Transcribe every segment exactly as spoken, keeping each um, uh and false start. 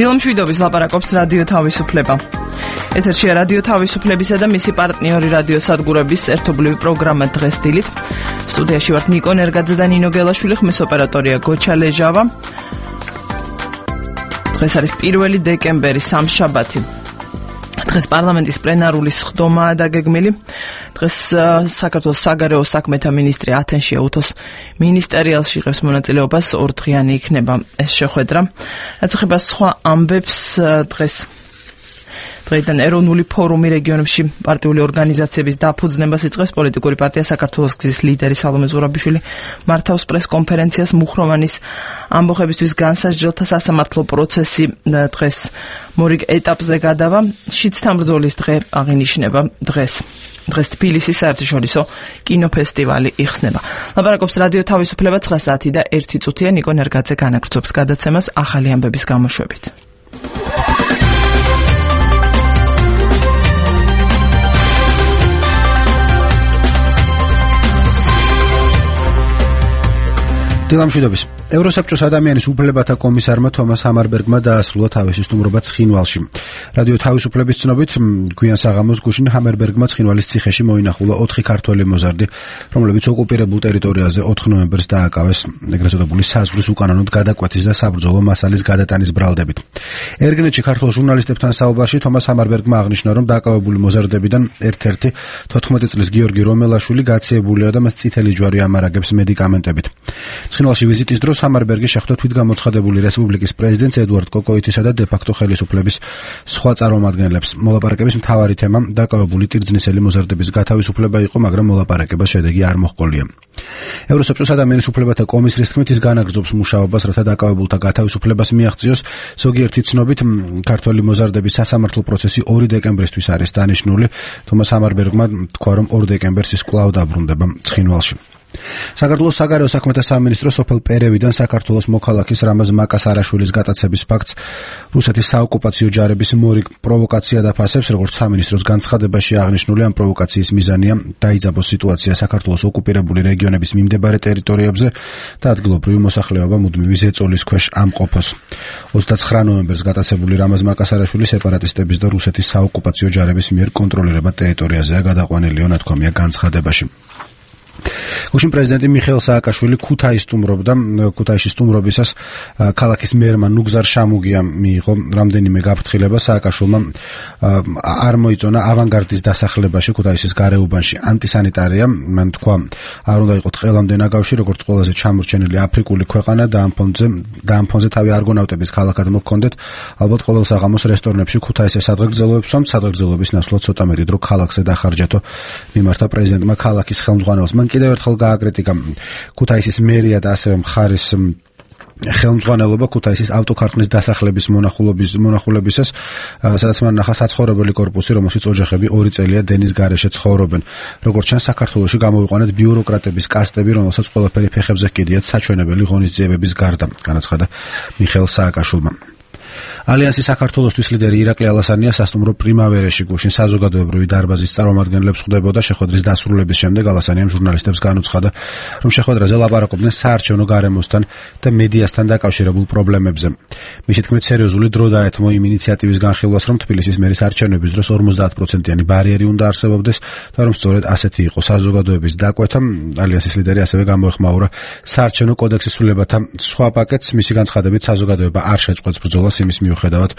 დილამშვიდობის ლაპარაკობს რადიო თავისუფლება. ეთერშია რადიო თავისუფლებისა და მისი პარტნიორი რადიო სადგურების ერთობლივი პროგრამა დღეს დილით. სტუდიაში ვართ ნიკო ნერგაძე და ნინო გელაშვილი, ხმის ოპერატორია გოჩა ლეჟავა. დღეს არის პირველი დეკემბერი, სამშაბათი. დღეს პარლამენტის პლენარული სხდომაა დაგეგმილი. დღეს საქართველოს საგარეო საქმეთა მინისტრი ათენში ეუთოს მინისტერიალში იღებს მონაწილეობას, ორდღიანი იქნება ეს შეხვედრა. რაც ეხება სხვა ამბებს, დღეს დღეიდან ეროვნული ფორუმი რეგიონებში პარტიული ორგანიზაციების დაფუძნებას იწყებს. პოლიტიკური პარტია საქართველოს გზის ლიდერი სალომე ზურაბიშვილი მართავს პრეს-კონფერენციას. მუხროვანის ამბოხებისთვის განსაჯდელთა სასამართლო პროცესი დღეს მორიგ ეტაპზე გადავა. შიდსთან ბრძოლის დღე აღინიშნება დღეს. დღეს თბილისის საერთაშორისო კინოფესტივალი იხსნება. ლაპარაკობს რადიო თავისუფლება ცხრა საათი და ერთი წუთია. ნიკო ნერგაძე განაგრძობს გადაცემას ახალი ამბების გამოშვებით. დილამშვიდობის. ევროსაბჭოს ადამიანის უფლებათა კომისარმა თომას ჰამარბერგმა დაასრულა თავისი სტუმრობა ცხინვალში. რადიო თავისუფლების ცნობით, გვიან საღამოს გუშინ ჰამარბერგმა ცხინვალის ციხეში მოინახულა ოთხი ქართველი მოზარდი, რომლებიც ოკუპირებულ ტერიტორიაზე ოთხ ნოემბერს დააკავეს ეგრეთ წოდებული საზღვრის უკანონოდ გადაკვეთის და საბრძოლო მასალის გადატანის ბრალდებით. ერგნეტში ქართულ ჟურნალისტებთან საუბარში თომას ჰამარბერგმა აღნიშნა, რომ დააკავებული მოზარდებიდან ერთ-ერთი თოთხმეტი წლის გიორგი რომელაშვილი გაციებულია და მას წითელი ჯვარი ამარაგებს მედიკამენტებით. ცხინვალში ვიზიტის დროს ჰამარბერგი შეხვდა თვითგამოცხადებული რესპუბლიკის პრეზიდენტს ედუარდ კოკოიტისა და დე-ფაქტო ხელისუფლების სხვა წარმომადგენლებს. მოლაპარაკების მთავარი თემა დაკავებული ტირძნისელი მოზარდების გათავისუფლება იყო, მაგრამ მოლაპარაკებას შედეგი არ მოჰყოლია. ევროსაბჭოს ადამიანის უფლებათა კომისრის თქმით, ის განაგრძობს მუშაობას, რათა დაკავებულთა გათავისუფლებას მიაღწიოს. ზოგიერთი ცნობით, ქართველი მოზარდების სასამართლო პროცესი ორი დეკემბრისთვის არის დანიშნული. თომას ჰამარბერგმა თქვა, რომ ორ დეკემბერს ის კვლავ დაბრუნდება ცხინვალში. საქართველოს საგარეო საქმეთა სამინისტრო სოფელ პერევიდან საქართველოს მოქალაქის რამაზ მაკასარაშვილის გატაცების ფაქტს რუსეთის საოკუპაციო ჯარების მორიგ პროვოკაცია დაფასებს. როგორც სამინისტროს განცხადებაში აღნიშნული, ამ პროვოკაციის მიზანია დაიძაბოს სიტუაცია საქართველოს ოკუპირებული რეგიონების მიმდებარე ტერიტორიებზე და ადგილობრივი მოსახლეობა მუდმივი ზეწოლის ქვეშ ამყოფოს. ოცდაცხრა ნოემბერს გატაცებული რამაზ მაკასარაშვილი სეპარატისტების და რუსეთის საოკუპაციო ჯარების მიერ კონტროლირებად ტერიტორიაზეა გადაყვანილი, ნათქვამია განცხადებაში. გუშინ პრეზიდენტი მიხეილ სააკაშვილი ქუთაისში სტუმრობდა. ქუთაისში სტუმრობისას ქალაქის მერმა ნუგზარ შამუგიამ მიიღო რამდენიმე გაფრთხილება. სააკაშვილმა არ მოიწონა ავანგარდის დასახლებაში ქუთაისის გარეუბანში ანტისანიტარია. მან თქვა, არ უნდა იყოს ყველამდე ნაგავში, როგორც ყველაზე ჩამორჩენილი აფრიკული ქვეყანა და ამ ფონზე და ამ ფონზე თავი არგონავტების ქალაქად მოჰქონდეთ. ალბათ ყოველ საღამოს რესტორნებში ქუთაისის სადღეგრძელოებს ვსვამთ. სადღეგრძელოების ნაცვლად ცოტა მეტი დრო ქალაქზე დახარჯეთო, მიმართა პრეზიდენტმა ქალაქის ხელმძღვანელს. მან კიდევ ერთხელ გააკრიტიკა ქუთაისის მერია და ასევე მხარის ხელმძღვანელობა ქუთაისის ავტოქარხნის დასახლების მონახულობის მონახულებისას, სადაც მან ნახა საცხოვრებელი კორპუსი, რომელშიც ოჯახები ორი წელია დენის გარეშე ცხოვრობენ. როგორც ჩანს, საქართველოში გამოვიყვანეთ ბიუროკრატების კასტები, რომელსაც ყველაფერი ფეხებზე ჰკიდიათ საჩვენებელი ღონისძიებების გარდა, განაცხადა მიხეილ სააკაშვილმა. ალიანსის საქართველოსთვის ლიდერი ირაკლი ალასანია სასტუმრო პრიმავერაში გუშინ საზოგადოებრივი დარბაზის წარმომადგენლებს ხვდებოდა. შეხვედრის დასრულების შემდეგ ალასანიამ ჟურნალისტებს განუცხადა, რომ შეხვედრაზე ლაპარაკობდნენ საარჩევნო გარემოსთან და მედიასთან დაკავშირებულ პრობლემებზე. მისი თქმით, სერიოზული დრო დაეთმო იმ ინიციატივის განხილვას, რომ თბილისის მერის არჩევნების დროს ორმოცდაათ პროცენტიანი ბარიერი უნდა არსებობდეს და რომ სწორედ ასეთი იყო საზოგადოების დაკვეთა. ალიანსის ლიდერი ასევე გამოეხმაურა საარჩევნო კოდექსის ცვლილებათა სხვა პაკეტს. მისი განცხადებით, საზოგადოება არ შეწყვეტს ბრძოლას იმის მიუხედავად,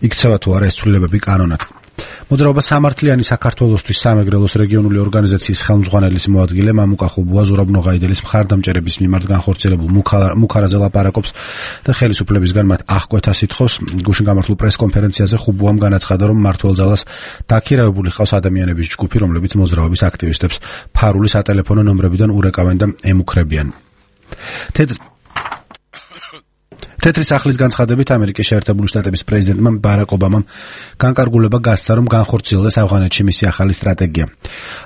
იქცევა თუ არა ეს ცვლილებები კანონად. მოძრაობა სამართლიანი საქართველოსთვის სამეგრელოს რეგიონული ორგანიზაციის ხელმძღვანელის მოადგილე მამუკა ხუბუა ზურაბ ნოღაიდელის მხარდამჭერების მიმართ განხორციელებულ მუქარაზე ლაპარაკობს და ხელისუფლებისგან მათ აღკვეთა სითხოვს. გუშინ გამართულ პრეს-კონფერენციაზე ხუბუამ განაცხადა, რომ მმართველ ძალას დაქირავებული ჰყავს ადამიანების ჯგუფი, რომლებიც მოძრაობის აქტივისტებს ფარული სატელეფონო ნომრებიდან ურეკავენ და ემუქრებიან. თეთრი სახლის განცხადებით ამერიკის შეერთებული შტატების პრეზიდენტმა ბარაკ ობამამ განკარგულება გასცა, რომ განხორციელდეს ავღანეთში მისი ახალი სტრატეგია.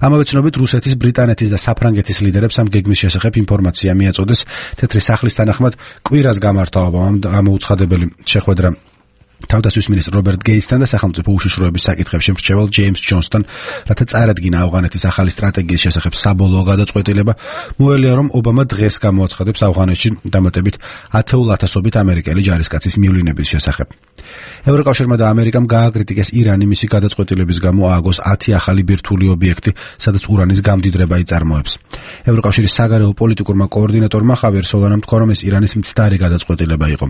ამავე ცნობით, რუსეთის, ბრიტანეთის და საფრანგეთის ლიდერებს ამ გეგმის შესახებ ინფორმაცია მიაწოდეს. თეთრი სახლის თანახმად კვირას გამართა ობამამ გამოუცხადებელი შეხვედრა თავდაცვის მინისტრ რობერტ გეიტსთან და სახელმწიფო უშიშროების საკითხებში მრჩევალ ჯეიმს ჯონსთან, რათა წარადგინა ავღანეთის ახალი სტრატეგიის შესახებ საბოლოო გადაწყვეტილება, მოელია, რომ ობამა დღეს გამოაცხადებს ავღანეთში დამატებით ათეულ ათასობით ამერიკელი ჯარისკაცის მივლინების შესახებ. ევროკავშირმა და ამერიკამ გააკრიტიკეს ირანი მისი გადაწყვეტილების გამო ააგოს ათი ახალი ბირთვული ობიექტი, სადაც ურანის გამდიდრება იწარმოებს. ევროკავშირის საგარეო პოლიტიკურმა კოორდინატორმა ხავიერ სოლანამ თქვა, რომ ეს ირანის მცდარი გადაწყვეტილება იყო.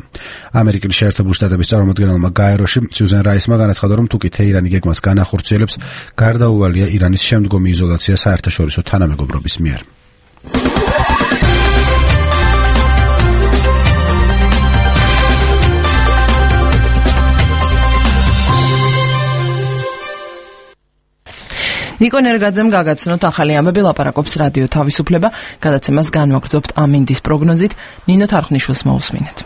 ამერიკის შეერთებული შტატების წარმომადგენელმა გაეროში სიუზენ რაისმა განაცხადა, რომ თუ კი თეირანი გეგმას განახორციელებს, გარდაუვალია ირანის შემდგომი იზოლაცია საერთაშორისო თანამეგობრობის მიერ. ნიკო ნერგაძემ გაგაცნოთ ახალი ამბები, ლაპარაკობს რადიო თავისუფლება, გადაცემას განვაგრძობთ ამინდის პროგნოზით. ნინო თარხნიშვილს მოусმინეთ.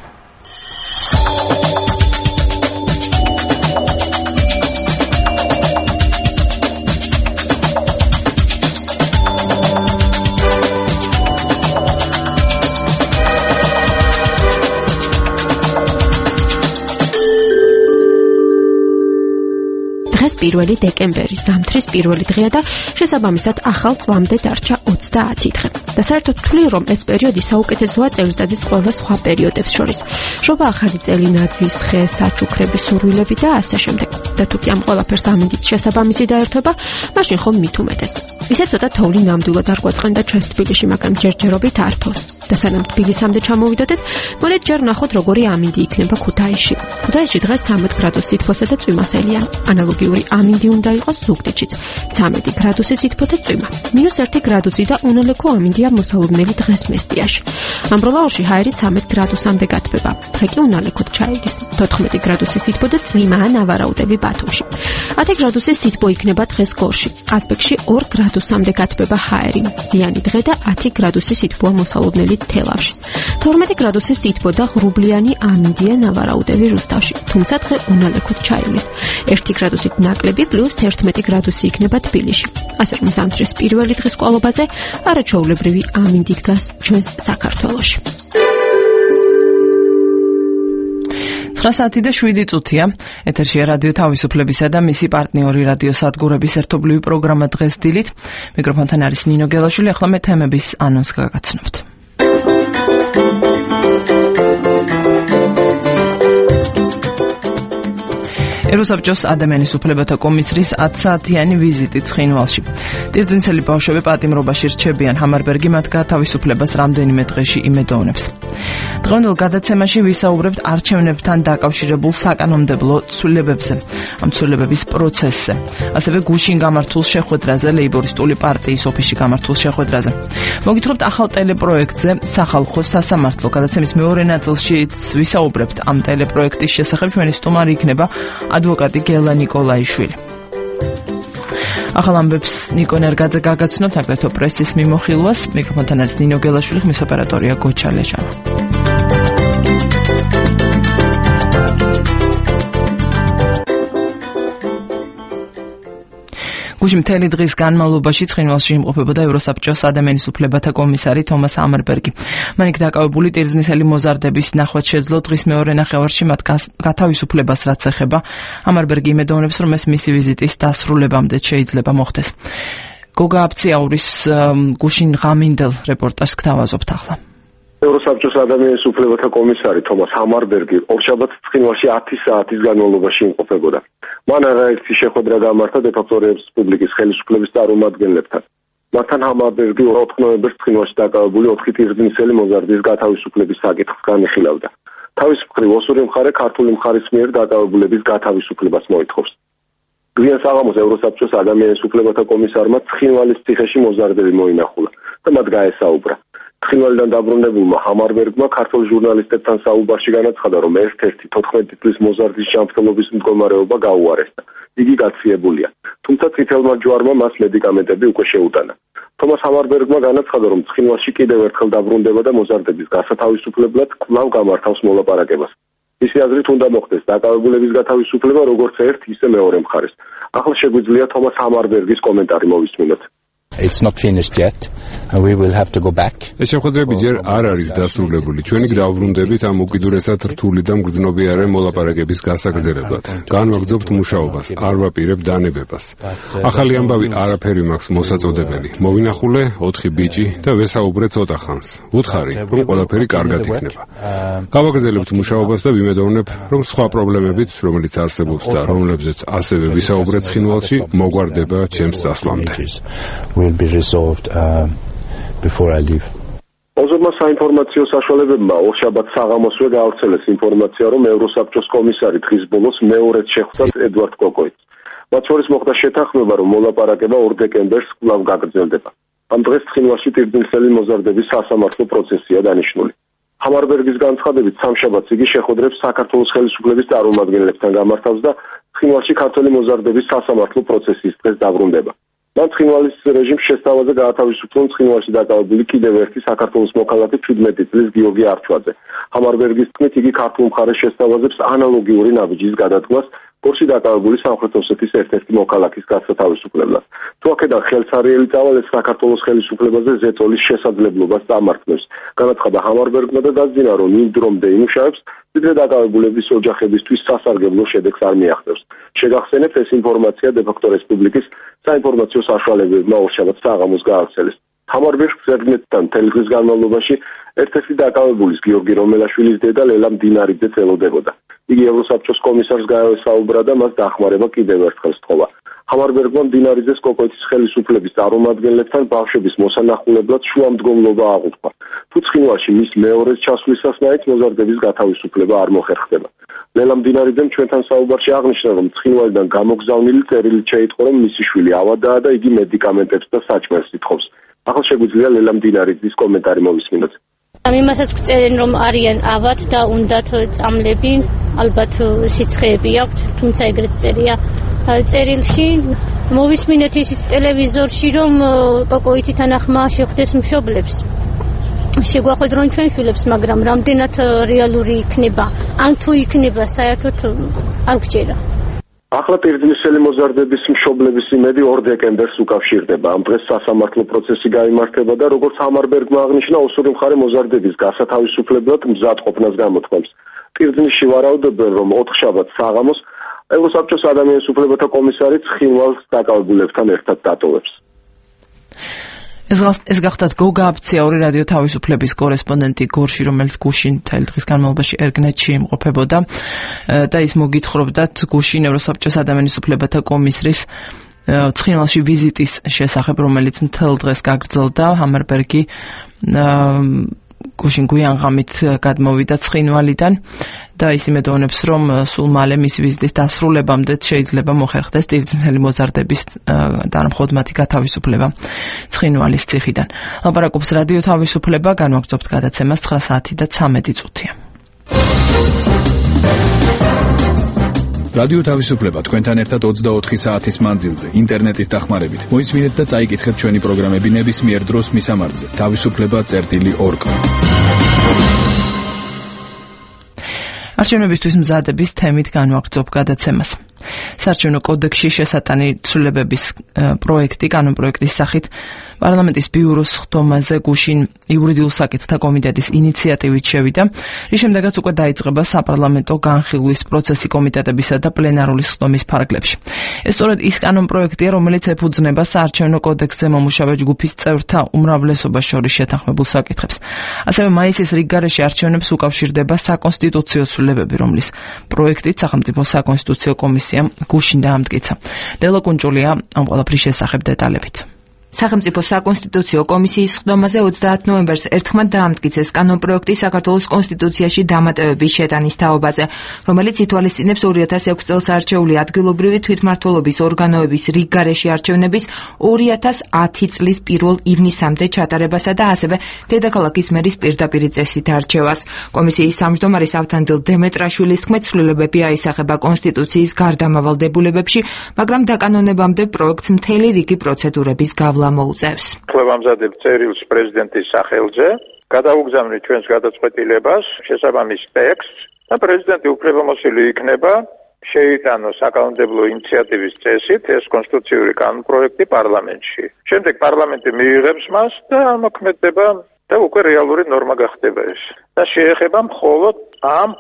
პირველი დეკემბერი, ზამთრის პირველი დღეა და შესაბამისად ახალ წლამდე დარჩა ოცდაათი დღე. და საერთოდ ვთვლი, რომ ეს პერიოდი საუკეთესოა წელიწადის ყველა სხვა პერიოდებს შორის. შობა ახალი წელი, ნაძვის ხე, საჩუქრების სურვილები და ასე შემდეგ. და თუ კი ამ ყველაფერს ამინდით შესაბამისი დაერთვება, მაშინ ხომ მით უმეტეს. ისე ცოტა თოვლი ნამდვილად არ გვაწყენდა ჩვენს თბილისში, მაგრამ ჯერჯერობით არ თოს. და სანამ თბილისამდე ჩამოვიდოდეთ, მოდით ჯერ ვნახოთ როგორი ამინდი იქნება ქუთაისში. ქუთაისში დღეს ცამეტ გრადუს სითბოსა და წვიმასელია. ანალოგიური ამინდი უნდა იყოს ზუგდიდშიც. ცამეტი გრადუსი სითბო და წვიმა. მინუს ერთი გრადუსი და უნოლექო ამინდია მოსალოდნელი დღეს მესტიაში. ამბროლაურში ჰაერი ცამეტ გრადუსამდე გათბება. დღე კი უნალექოდ ჩაივლის. თოთხმეტი გრადუსი სითბო და წვიმაა ნავარაუდები ბათუმში. ათი გრადუსი სითბო იქნება დღეს გორში. ყაზბეგში ორ გრადუსამდე გათბება ჰაერი. ზიანი დღე და ათი გრადუსი სითბოა მოსალოდნელი თელავში. თორმეტი გრადუსი სითბო და ღრუბლიანი ამინდია ნავარაუდები რუსთავში. თუმცა დღე უნალექოდ ჩაივლის. ერთი გრადუსით ნაკლები პლუს თერთმეტი გრადუსი იქნება თბილისში. ასე რომ ზამთრის პირველი დღის ყოლობაზე არაჩვეულებრივი ამინდი დგას ჩვენს საქართველოში. ცხრა საათი და შვიდი წუთია. ეთერშია რადიო თავისუფლებისა და მისი პარტნიორი რადიო სადგურების ერთობლივი პროგრამა დღეს დილით. მიკროფონთან არის ნინო გელაშვილი. ახლა მე თემების ანონს გაგაცნობთ. ეროსაბჭოს ადამიანის უფლებათა კომისრის ათსაათიანი ვიზიტი ცხინვალში. ტირძინცელი ბავშვები პატიმრობაში რჩებიან, ჰამარბერგი მათ გათავისუფლებას რამდენიმე დღეში იმედოვნებს. დღევანდელ გადაცემაში ვისაუბრებთ არჩევნებთან დაკავშირებულ საკანონმდებლო ცვლილებებზე, ამ ცვლილებების პროცესზე, ასევე გუშინ გამართულ შეხვედრაზე, ლეიბორისტული პარტიის ოფისში გამართულ შეხვედრაზე. მოგითხრობთ ახალ ტელეპროექტზე სახალხო სასამართლო. გადაცემის მეორე ნაწილში ვისაუბრებთ ამ ტელეპროექტის შესახებ. ჩვენი სტუმარი იქნება ადვოკატი გელა ნიკოლაიშვილი. ახალ ამბებს ნიკო ნერგაძე გაგაცნობთ, აგრეთვე პრესის მიმოხილვას. მიკროფონთან არის ნინო გელაშვილი, ხმის ოპერატორია გოჩა ლეჟავა. გუშინ მთელი დღის განმავლობაში ცხინვალში იმყოფებოდა ევროსაბჭოს ადამიანის უფლებათა კომისარი თომას ჰამარბერგი. მან იქ დაკავებული ტირზნისელი მოზარდების ნახვაც შეძლო. დღის მეორე ნახევარში მათ გათავისუფლებას რაც ეხება. ჰამარბერგი იმედოვნებს, რომ ეს მისი ვიზიტის დასრულებამდე შეიძლება მოხდეს. გოგა აფციაურის გუშინ ღამინდელ რეპორტაჟს გთავაზობთ ახლა. ევროსაბჭოს ადამიანის უფლებათა კომისარი თომას ჰამარბერგი ორშაბათს ცხინვალში ათი საათის განმავლობაში იმყოფებოდა. მან არაერთი შეხვედრა გამართა დე-ფაქტო რესპუბლიკის ხელისუფლების წარმომადგენლებთან. მათთან ჰამარბერგი ოთხ ნოემბერს ცხინვალში დაკავებული ოთხი ტირზნისელი მოზარდის გათავისუფლების საკითხს განიხილავდა. თავის მხრივ ოსური მხარე ქართული მხარის მიერ დაკავებულების გათავისუფლებას მოითხოვს. გვიან საღამოს ევროსაბჭოს ადამიანის უფლებათა კომისარმა ცხინვალის ციხეში მოზარდები მოინახულა და მათ გაესაუბრა. ცხინვალიდან დაბრუნებულმა ჰამარბერგმა ქართულ ჟურნალისტებთან საუბარში განაცხადა, რომ ერთ-ერთი თოთხმეტი წლის მოზარდის ჯანმრთელობის მდგომარეობა გაუარესდა. იგი გაცილებულია, თუმცა წითელმა ჯვარმა მას მედიკამენტები უკვე შეუტანა. თომას ჰამარბერგმა განაცხადა, რომ ცხინვალში კიდევ ერთხელ დაბრუნდება და მოზარდების გასათავისუფლებლად კვლავ გამართავს მოლაპარაკებას. მისი აზრით უნდა მოხდეს დაკავებულების გათავისუფლება როგორც ერთ, ისე მეორე მხარეს. ახლა შეგვიძლია თომას ჰამარბერგის კომენტარი მოვისმინოთ. It's not finished yet. And we will have to go back. ეს შეხვედრები ჯერ არ არის დასრულებული. ჩვენი დაუბრუნდებით ამ უკიდურესად რთული და მგრძნობიარე მოლაპარაკების გასაგრძელებლად. განვაგრძობთ მუშაობას, არ ვაპირებ დანებებას. ახალი ამბავი არაფერი მაქვს მოსაწოდებელი. მოვინახულე ოთხი ბიჭი და ვესაუბრე ცოტა ხანს. ვუთხარი, რომ ყველაფერი კარგად იქნება. გავაგრძელებთ მუშაობას და ვიმედოვნებ, რომ სხვა პრობლემებიც, რომელიც არსებობს და რომლებზეც ასევე ვისაუბრეთ ცხინვალში, მოგვარდება ჩემს წასვლამდე. Will be resolved uh, before I leave. ოზურმა საინფორმაციო საშუალებებმა ორშაბათ საღამოსვე გაავრცელეს ინფორმაცია, რომ ევროსაბჭოს კომისარი დღის ბოლოს მეორედ შეხვდათ ედვარდ კოკოიტს. მათ შორის მოხდა შეთანხმება, რომ მოლაპარაკება ორ დეკემბერს კვლავ გაგრძელდება. ამ დღეს ცხინვალში პირდაპირ მოზარდების სასამართლო პროცესია დანიშნული. ჰამარბერგის განცხადებით, სამშაბათს იგი შეხვედრებს საქართველოს ხელისუფლების წარმომადგენლებთან გამართავს და ცხინვალში ქართველი მოზარდების სასამართლო პროცესის დღეს დაბრუნდება. მან ცხინვალის რეჟიმს შესთავაზე გაათავისუფლონ ცხინვალში დაკავებული კიდევ ერთი საქართველოს მოქალაქე ჩვიდმეტი წლის გიორგი არჩვაძე. ჰამარბერგის თქმით, იგი ქართულ მხარეს შესთავაზებს ანალოგიური ნაბიჯის გადადგმას გორში დაკავებული სამხრეთ ოსეთის ერთ-ერთი მოქალაქის გასათავისუფლებლად. თუ აქედან ხელსარიელი წავალეს საქართველოს ხელისუფლებაზე ზეწოლის შესაძლებლობას წამართნებს. განაცხადა ჰამარბერგმა და დაძინა, რომ იმ დრომდე იმუშავებს, ვიდრე დაკავებულების ოჯახებისთვის სასარგებლო შედეგს არ მიაღწევს. შეგახსენებთ, ეს ინფორმაცია დე-ფაქტო რესპუბლიკის საინფორმაციო საშუალებებმა ორშაბათს საღამოს გაავრცელეს. ჰამარბერგს ზედმეტთან თელეგრის განმავლობაში ერთ-ერთი დაკავებულის გიორგი რომელაშვილის დედა ლელა მდინარიძე წელოდებოდა. იგი ევროსაბჭოს კომისარს გაესაუბრა და მას დახმარება კიდევ ერთხელ სთხოვა. ჰამარბერგმა მდინარიძეს კოკოიტის ხელისუფლების წარმომადგენლებთან ბავშვების მოსანახულებლად შუამდგომლობა აღუთქვა. თუ ცხინვალში მის მეორეს ჩასვლისას მაინც მოზარდების გათავისუფლება არ მოხერხდება. ლელა მდინარიძემ ჩვენთან საუბარში აღნიშნა, რომ ცხინვალიდან გამოგზავნილი წერილით შეიტყო, რომ მისი შვილი ავადაა და იგი მედიკამენტებს და საჭმელს ითხოვს. ახლა შეგვიძლია ლელა მდინარიძის კომენტარი მოვისმინოთ. იმასაც გწერენ, რომ არიან ავად და უნდათ წამლები, ალბათ სიცხეები აქვთ, თუმცა ეგრეთ წერია წერილში. მოვისმინეთ ისიც ტელევიზორში, რომ კოკოიტთან ახმა შეხვდეს მშობლებს. შეგვახვედრონ ჩვენ შვილებს, მაგრამ რამდენად რეალური იქნება, ან თუ იქნება, საერთოდ არ გვჭირა. ახლა პირდაპირ მოზარდების მშობლების იმედი ორ დეკემბერს უკავშირდება. ამ დღეს სასამართლო პროცესი გაიმართება და როგორც ჰამარბერგმა აღნიშნა, ოსური მხარე მოზარდების გასათავისუფლებლად მზად ყოფნას გამოთქვამს. პირდაპირში ვარაუდობენ, რომ ოთხშაბათს საღამოს ევროსაბჭოს ადამიანის უფლებათა კომისარი ცხინვალს დაკავებულებთან ერთად დატოვებს. ეს გახდათ გოგა აფციური რადიო თავისუფლების კორესპონდენტი გორში, რომელიც გუშინ მთელი დღის განმავლობაში ერგნეტში იმყოფებოდა და ის მოგითხრობდათ გუშინ ევროსაბჭოს ადამიანის უფლებათა კომისრის ცხინვალში ვიზიტის შესახებ, რომელიც მთელ დღეს გაგრძელდა. ჰამარბერგი გუშინ გვიანღამით გადმოვიდა ცხინვალიდან და ის იმედოვნებს, რომ სულ მალე მის ვიზიტის დასრულებამდე შეიძლება მოხერხდეს ტირწნელი მოზარდების და მხოლოდ მათი გათავისუფლება ცხინვალის ციხიდან. ლაპარაკობს რადიო თავისუფლება, განვაგრძობთ გადაცემას ცხრა საათი და ცამეტი წუთია. რადიო თავისუფლება თქვენთან ერთად ოცდაოთხი საათის მანძილზე ინტერნეტის დახმარებით. მოისმინეთ და წაიკითხეთ ჩვენი პროგრამები ნებისმიერ დროს მისამართზე თავისუფლება წერტილი ორ კომ. არჩევნებისთვის მზადების თემით განვაგრძობ გადაცემას. საარჩევნო კოდექსში შესატანი ცვლილებების პროექტი, კანონპროექტის სახით პარლამენტის ბიუროს ხდომაზე გუშინ იურიდიულ საკითხთა კომიტეტის ინიციატივით შევიდა, რის შემდეგაც უკვე დაიწყება საპარლამენტო განხილვის პროცესი კომიტეტებისა და პლენარული ხდომის ფარგლებში. ეს სწორედ ის კანონპროექტია, რომელიც ეფუძნება საარჩევნო კოდექსზე მომუშავე ჯგუფის წევრთა უმრავლესობას შორის შეთანხმებულ საკითხებს. ასევე მაისის რიგგარეშე არჩევნებს უკავშირდება საკონსტიტუციო ცვლილებები, რომლის პროექტით სახელმწიფო საკონსტიტუციო კომისია გუშინ დაამტკიცა. დელო კუნჭულია ამ ყველაფრის შესახებ დეტალებით. სახელმწიფო საკონსტიტუციო კომისიის ხდომაზე ოცდაათ ნოემბერს ერთხმად დაამტკიცეს კანონპროექტი საქართველოს კონსტიტუციაში დამატებების შეტანის თაობაზე, რომელიც ითვალისწინებს ორი ათას ექვსი წელს არჩეული ადგილობრივი თვითმმართველობის ორგანოების რიგგარეშე არჩევნების ორი ათას ათი წლის პირველ ივნისამდე ჩატარებასა და ასევე დედაქალაქის მერის პირდაპირ წესით არჩევას. კომისიის სამჯდომარის ავთანდილ დემეტრაშვილის თქმით, ცვლილებები აისახება კონსტიტუციის გარდამავალ დებულებებში, მაგრამ დაკანონებამდე პროექტს მთელი რიგი პროცედურების გავლა მოუწევს. ხლებამზადებ წერილს პრეზიდენტის სახელზე, გადაუგზავნით ჩვენს გადაწყვეტილებას, შესაბამის ტექსტს და პრეზიდენტი უფლებამოსილი იქნება შეიტანოს საკანონმდებლო ინიციატივის წესით ეს კონსტიტუციური კანონპროექტი პარლამენტში. შემდეგ პარლამენტი მიიღებს მას და ამოქმედება და უკვე რეალური ნორმა გახდება ეს. და შეეხება მხოლოდ ამ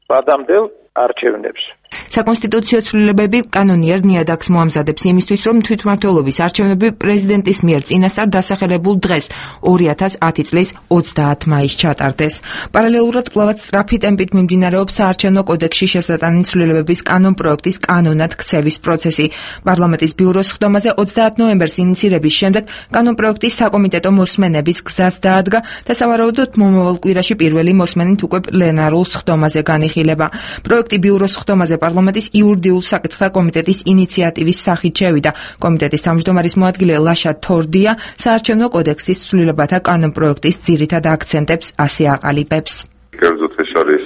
ვადამდელ არჩევნებს. საკონსტიტუციო ცვლილებები კანონიერ ნიადაგს მოამზადებს იმისთვის, რომ თვითმმართველობის არჩევნები პრეზიდენტის მიერ წინასწარ დასახელებულ დღეს ორი ათას ათი წლის ოცდაათი მაისს ჩატარდეს. პარალელურად კვლავაც სწრაფი ტემპით მიმდინარეობს საარჩევნო კოდექსში შესატანილი ცვლილებების კანონპროექტის კანონად ქცევის პროცესი. პარლამენტის ბიუროს ხდომაზე ოცდაათი ნოემბერს ინიცირების შემდეგ კანონპროექტის საკომიტეტო მოსმენების გზას დაადგა და სავარაუდოდ მომავალ კვირაში პირველი მოსმენით უკვე პლენარულ ხდომაზე განიხილება. პროექტი ბიუროს ხდომაზე პარლამენტის იურიდიულ საკითხთა კომიტეტის ინიციატივის სახით შევიდა. კომიტეტის თავმჯდომარის მოადგილე ლაშა თორდია საარჩევნო კოდექსის ცვლილებათა კანონპროექტის ძირითად აქცენტებს ასე აყალიბებს. კერძოდ ეს არის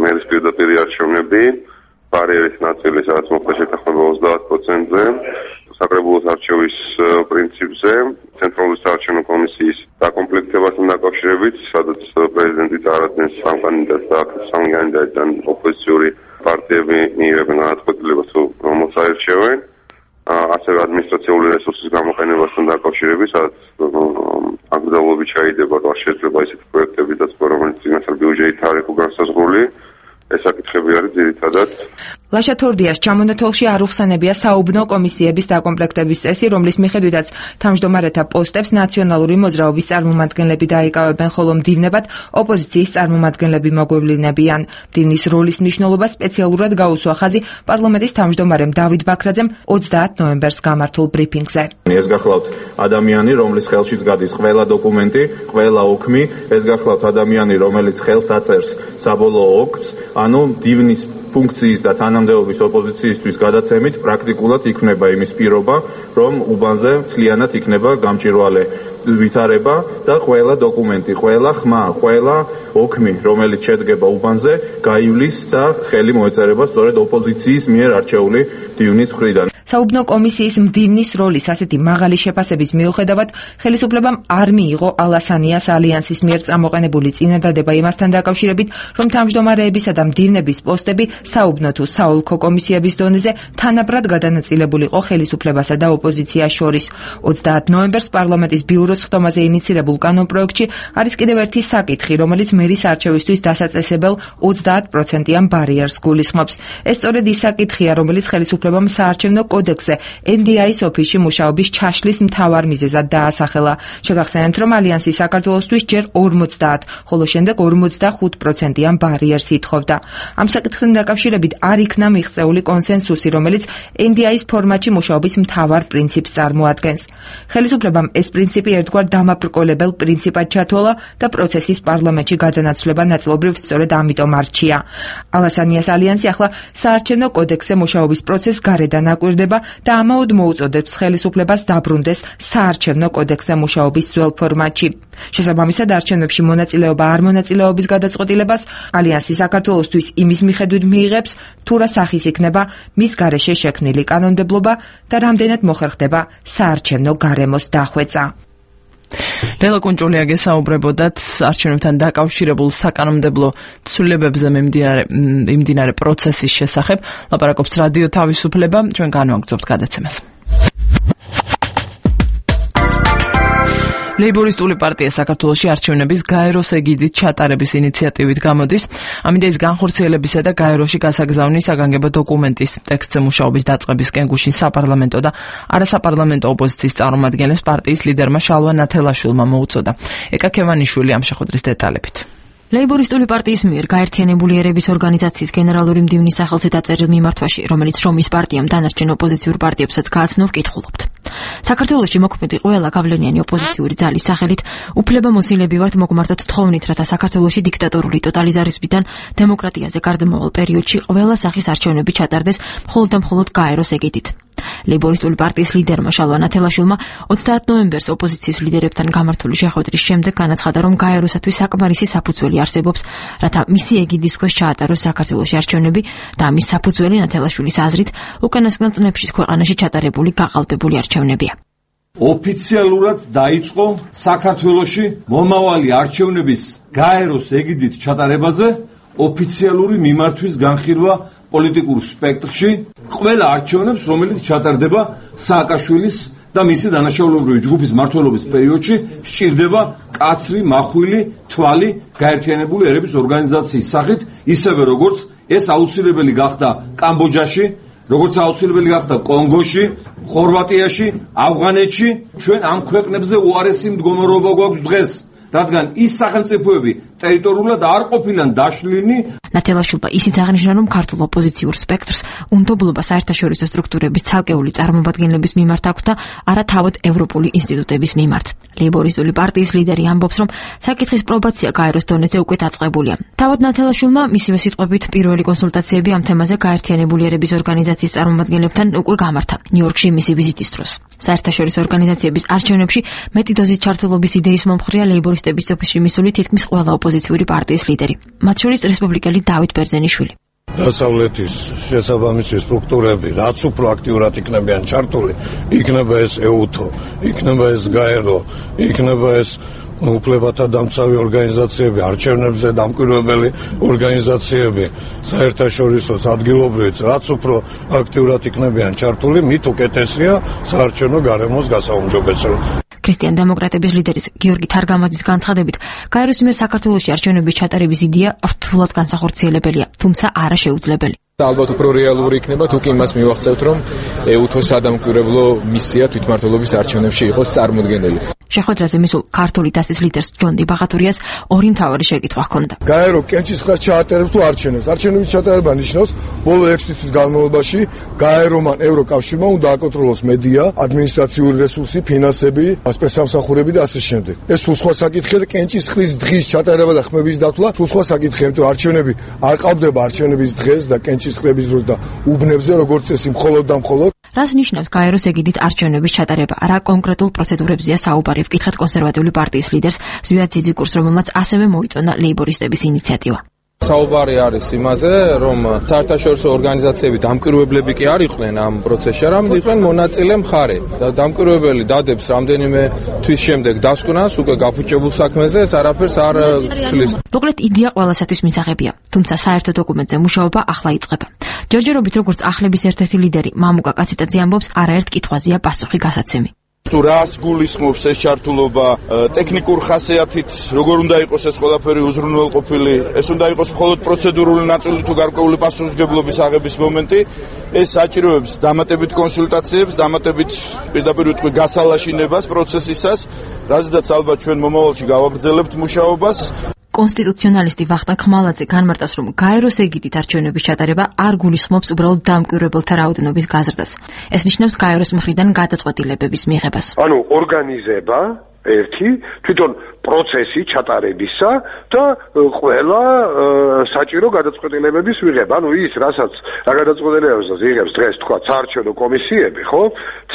მერის პირდაპირი არჩევნები, ბარიერის ნაწილი, სადაც მოხდა შეთანხმება ოცდაათ პროცენტზე, საკრებულოს არჩევის პრინციპზე, ცენტრალური საარჩევნო კომისიის დაკომპლექტებასთან დაკავშირებით, სადაც პრეზიდენტი წარადგენს სამ კანდიდატს და აქ სამი კანდიდატიდან ოპოზიციური პარტიები მიიღებენ განაცხადებას, რომელსაც აირჩევენ. ასევე ადმინისტრაციული რესურსის გამოყენებასთან დაკავშირებით, სადაც აკრძალვები ჩაიდება და შეიძლება ისეთი პროექტები დაწყო, რომელიც წინასწარ ბიუჯეტით არ იყო განსაზღვრული. ეს საკითხები არის ძირითადად. ლაშა თორდიას ჩამონათვალში არ უხსენებია საუბნო კომისიების დაკომპლექტების წესი, რომლის მიხედვითაც თავმჯდომარეთა პოსტებს ნაციონალური მოძრაობის წარმომადგენლები დაიკავებენ, ხოლო მდივნებად ოპოზიციის წარმომადგენლები მოგვევლინებიან. მდივნის როლის მნიშვნელობა სპეციალურად გაუსვა ხაზი პარლამენტის თავმჯდომარემ დავით ბაქრაძემ ოცდაათი ნოემბერს გამართულ ბრიფინგზე. ეს გახლავთ ადამიანი, რომლის ხელშიც გადის ყველა დოკუმენტი, ყველა ოქმი, ეს გახლავთ ადამიანი, რომელიც ხელს აწერს საბოლოო ოქს, ანუ მდივნის ფუნქციის და თანამდებობის ოპოზიციისთვის გადაცემით პრაქტიკულად იქნება იმის პირობა, რომ უბანზე მთლიანად იქნება გამჭვირვალე ვითარება და ყველა დოკუმენტი, ყველა ხმა, ყველა ოქმი, რომელიც შედგება უბანზე, გაივლის და ხელი მოეწერება სწორედ ოპოზიციის მიერ არჩეული მდივნის მხრიდან. საუბნო კომისიის მდივნის როლის ასეთი მაღალი შეფასების მიუხედავად, ხელისუფლებამ არ მიიღო ალასანიას ალიანსის მიერ წამოყენებული წინადადება იმასთან დაკავშირებით, რომ თავმჯდომარეებისა და მდივნების პოსტები საუბნო თუ საოლქო კომისიების დონეზე თანაბრად გადანაწილებულიყო ხელისუფლებასა და ოპოზიციას შორის. ოცდაათი ნოემბერს პარლამენტის ბიუროს ხდომაზე ინიცირებულ კანონპროექტში არის კიდევ ერთი საკითხი, რომელიც მერის არჩევისთვის დასაწესებელ ოცდაათ პროცენტიან ბარიერს გულისხმობს. ეს სწორედ ის საკითხია, რომელიც ხელისუფლებამ საარჩევნო კოდექსზე ენ დი აის ოფისში მუშაობის ჩაშლის მთავარ მიზეზად დაასახელა. შეგახსენებთ, რომ ალიანსი საქართველოსთვის ჯერ ორმოცდაათ, ხოლო შემდეგ ორმოცდახუთ პროცენტიან ბარიერს ითხოვდა. ამ საკითხთან დაკავშირებით არ იქნა მიღწეული კონსენსუსი, რომელიც ენ დი აის ფორმატში მუშაობის მთავარ პრინციპს წარმოადგენს. ხელისუფლებამ ეს პრინციპი ერთგვარ დამაბრკოლებელ პრინციპად ჩათვალა და პროცესის პარლამენტში გადანაცვლება ნაწილობრივ სწორედ ამიტომ არჩია. ალასანიას ალიანსი ახლა საარჩევნო კოდექსზე მუშაობის პროცესს გარედან აკვირდება და ამაოდ მოუწოდებს ხელისუფლებას დაბრუნდეს საარჩევნო კოდექსზე მუშაობის ძველ ფორმატში. შესაბამისად, არჩევნებში მონაწილეობა არ მონაწილეობის გადაწყვეტილებას ალიანსი საქართველოსთვის იმის მიხედვით მიიღებს, თუ რა სახის იქნება მის გარეშე შექმნილი კანონმდებლობა და რამდენად მოხერხდება საარჩევნო გარემოს დახვეწა. ლელა კუნჭულია გესაუბრებოდათ არჩევნებთან დაკავშირებულ საკანონმდებლო ცვლილებებზე მიმდინარე პროცესის შესახებ. ლაპარაკობს რადიო თავისუფლება, ჩვენ განვაგრძობთ გადაცემას. ლეიბორისტული პარტია საქართველოში არჩევნების გაეროს ეგიდით ჩატარების ინიციატივით გამოდის. ამიტომ ის განხორციელებისა და გაეროში გასაგზავნის საგანგებო დოკუმენტის ტექსტზე მუშაობის დაწყებისკენ გუშინ საპარლამენტო და არასაპარლამენტო ოპოზიციის წარმომადგენლებს პარტიის ლიდერმა შალვა ნათელაშვილმა მოუწოდა. ეკა ქევანიშვილი ამ შეხვედრის დეტალებით. ლეიბორისტული პარტიის მიერ გაერთიანებული ერების ორგანიზაციის გენერალური მდივნის სახელზე დაწერილ მიმართვაში, რომელიც რომის პარტიამ დანარჩენ ოპოზიციურ პარტიებსაც გააცნო, ვკითხულობთ. საქართველოში მოქმედი ყველა გავლენიანი ოპოზიციური ძალის სახელით უფლებამოსილები ვართ მოგმართოთ თხოვნით, რათა საქართველოში დიქტატორული ტოტალიტარიზმიდან დემოკრატიაზე გარდამავალ პერიოდში ყველა სახის არჩევნები ჩატარდეს მხოლოდ და მხოლოდ გაეროს ეგიდით. ლეიბორისტული პარტიის ლიდერმა შალვა ნათელაშვილმა ოცდაათი ნოემბერს ოპოზიციის ლიდერებთან გამართული შეხვედრის შემდეგ განაცხადა, რომ გაეროსათვის საკმარისი საფუძველი არსებობს, რათა მისი ეგიდის ქვეშ ჩაატაროს საქართველოში არჩევნები და ამის საფუძველი ნათელაშვილის აზრით უკანასკნელ წლებში ქვეყანაში ჩატარებული გაყალბებული არჩევნებია. ოფიციალურად დაიწყო საქართველოში მომავალი არჩევნების გაეროს ეგიდით ჩატარებაზე ოფიციალური მიმართვის განხილვა პოლიტიკურ სპექტრში ყველა არჩევნებს, რომელიც ჩატარდება სააკაშვილის და მისი დანაშაულებრივი ჯგუფის მმართველობის პერიოდში, სჭირდება კაცრი, მახვილი, თვალი გაერთიანებული ერების ორგანიზაციის სახით, ისევე როგორც ეს აუცილებელი გახდა კამბოჯაში, როგორც აუცილებელი გახდა კონგოში, ხორვატიაში, ავღანეთში. ჩვენ ამ ქვეყნებზე უარესი მდგომარეობა გვაქვს დღეს, რადგან ის სახელმწიფოები ტერიტორიულად არ ყოფილან დაშლილი. ნათელაშვილმა ისიც აღნიშნა, რომ ქართულ ოპოზიციურ სპექტრს უნდობლობა საერთაშორისო სტრუქტურების ცალკეული წარმომადგენლების მიმართ აქვს და არა თავად ევროპული ინსტიტუტების მიმართ. ლეიბორისტული პარტიის ლიდერი ამბობს, რომ საკითხის პრობაცია გაეროს დონეზე უკვე დაწყებულია. თავად ნათელაშვილმა მისივე სიტყვებით პირველი კონსულტაციები ამ თემაზე გაერთიანებული ერების ორგანიზაციის წარმომადგენლებთან უკვე გამართა ნიუ-იორკში მისი ვიზიტის დროს. საერთაშორისო ორგანიზაციების არჩევნებში მეტი დოზის ჩართულობის იდეის მომხრეა ლეიბორისტების ოფისში მისული თითქმის ყველა ოპოზიციური პარტიის ლიდერი, მათ შორის რესპუბლიკელი დავით ბერძენიშვილი. დასავლეთის შესაბამისი სტრუქტურები რაც უფრო აქტიურად იქნებიან ჩართული, იქნება ეს ეუთო, იქნება ეს გაერო, იქნება ეს უფლებათა დამცავი ორგანიზაციები, არჩევნებზე დამკვირვებელი ორგანიზაციები, საერთაშორისო ადგილობრივიც რაც უფრო აქტიურად იქნებიან ჩართული, მით უკეთესია საარჩევნო გარემოს გასაუმჯობესება. ქრისტიან დემოკრატების ლიდერის გიორგი თარგამაძის განცხადებით, გაეროს მიერ საქართველოში არჩევნების ჩატარების იდეა რთულად განსახორციელებელია, თუმცა არა შეუძლებელი. ალბათ უფრო რეალური იქნება თუ კი იმას მივახცევთ, რომ ეუთოს სადამკვირვებლო მისია თვითმმართველობის არჩევნებში იყოს წარმოდგენილი. შეხვედრაზე მისულ ქართული დასის ლიდერს ჯონდი ბაღატურიას ორი მთავარი შეკითხვა ჰქონდა. გაერო კენჭის ხარ ჩაატარებს თუ არჩევნებს? არჩევნების ჩატარება ნიშნავს ბოლო ექვსი თვის განმავლობაში გაერომან ევროკავშირმა უნდა აკონტროლოს მედია, ადმინისტრაციული რესურსი, ფინანსები, სპეცსამსახურები და ასე შემდეგ. ეს სულ სხვა საკითხია, კენჭის ხრის დღის ჩატარება და ხმების დათვლა სულ სხვა საკითხია, იმიტომ არჩევნები არ ყავდება არჩევნების დღეს და კენჭის ხრების დროს და უბნებზე როგორც წესი მხოლოდ და მხოლოდ. რას ნიშნავს გაეროს ეგიდით არჩევნების ჩატარება? რა კონკრეტულ პროცედურებზეა საუბარი? ვკითხეთ კონსერვატიული პარტიის ლიდერს ზვიად ძიძიკურს, რომელმაც ასევე მოიწონა ლეიბორისტების ინიციატივა. საუბარი არის იმაზე, რომ საერთაშორისო ორგანიზაციები დამკვირვებლები კი არ იყვნენ ამ პროცესში, არამედ იყვნენ მონაწილე მხარე. და დამკვირვებელი დადებს რამდენიმე თვის შემდეგ დასკვნას უკვე გაფუჭებულ საქმეზე, ეს არაფერს არ თვლის. მოკლედ იდეა ყველასათვის მისაღებია, თუმცა საერთო დოკუმენტზე მუშაობა ახლა იწყება. ჯერჯერობით როგორც ახლების ერთ-ერთი ლიდერი მამუკა კაციტაძე ამბობს, არაერთ კითხვაზეა პასუხი გასაცემი. თუ რას გულისხმობს ეს ჩართულობა, ტექნიკურ ხასიათით როგორ უნდა იყოს ეს ყველაფერი უზრუნველყოფილი, ეს უნდა იყოს მხოლოდ პროცედურული ნაწილი თუ გარკვეული პასუხისმგებლობის აღების მომენტი, ეს საჭიროებს დამატებით კონსულტაციებს, დამატებით პირდაპირ ვიტყვი გასალაშინებას პროცესისას, რაზედაც ალბათ ჩვენ მომავალში გავაგრძელებთ მუშაობას. კონსტიტუციონალისტი ვახტანგ ხმალაძე განმარტავს, რომ გაეროს ეგიდით არჩევნების ჩატარება არ გულისხმობს უბრალოდ დამკვირვებელთა რაოდენობის გაზრდას. ეს ნიშნავს გაეროს მხრიდან გადაწყვეტილებების მიღებას. ანუ ორგანიზება ერთი თვითონ პროცესი ჩატარებისა და ყველა საჭირო გადაწყვეტილებების მიღება. ანუ ის, რასაც რა გადაწყვეტილებებს იღებს დღეს თქვა საარჩევნო კომისიები, ხო?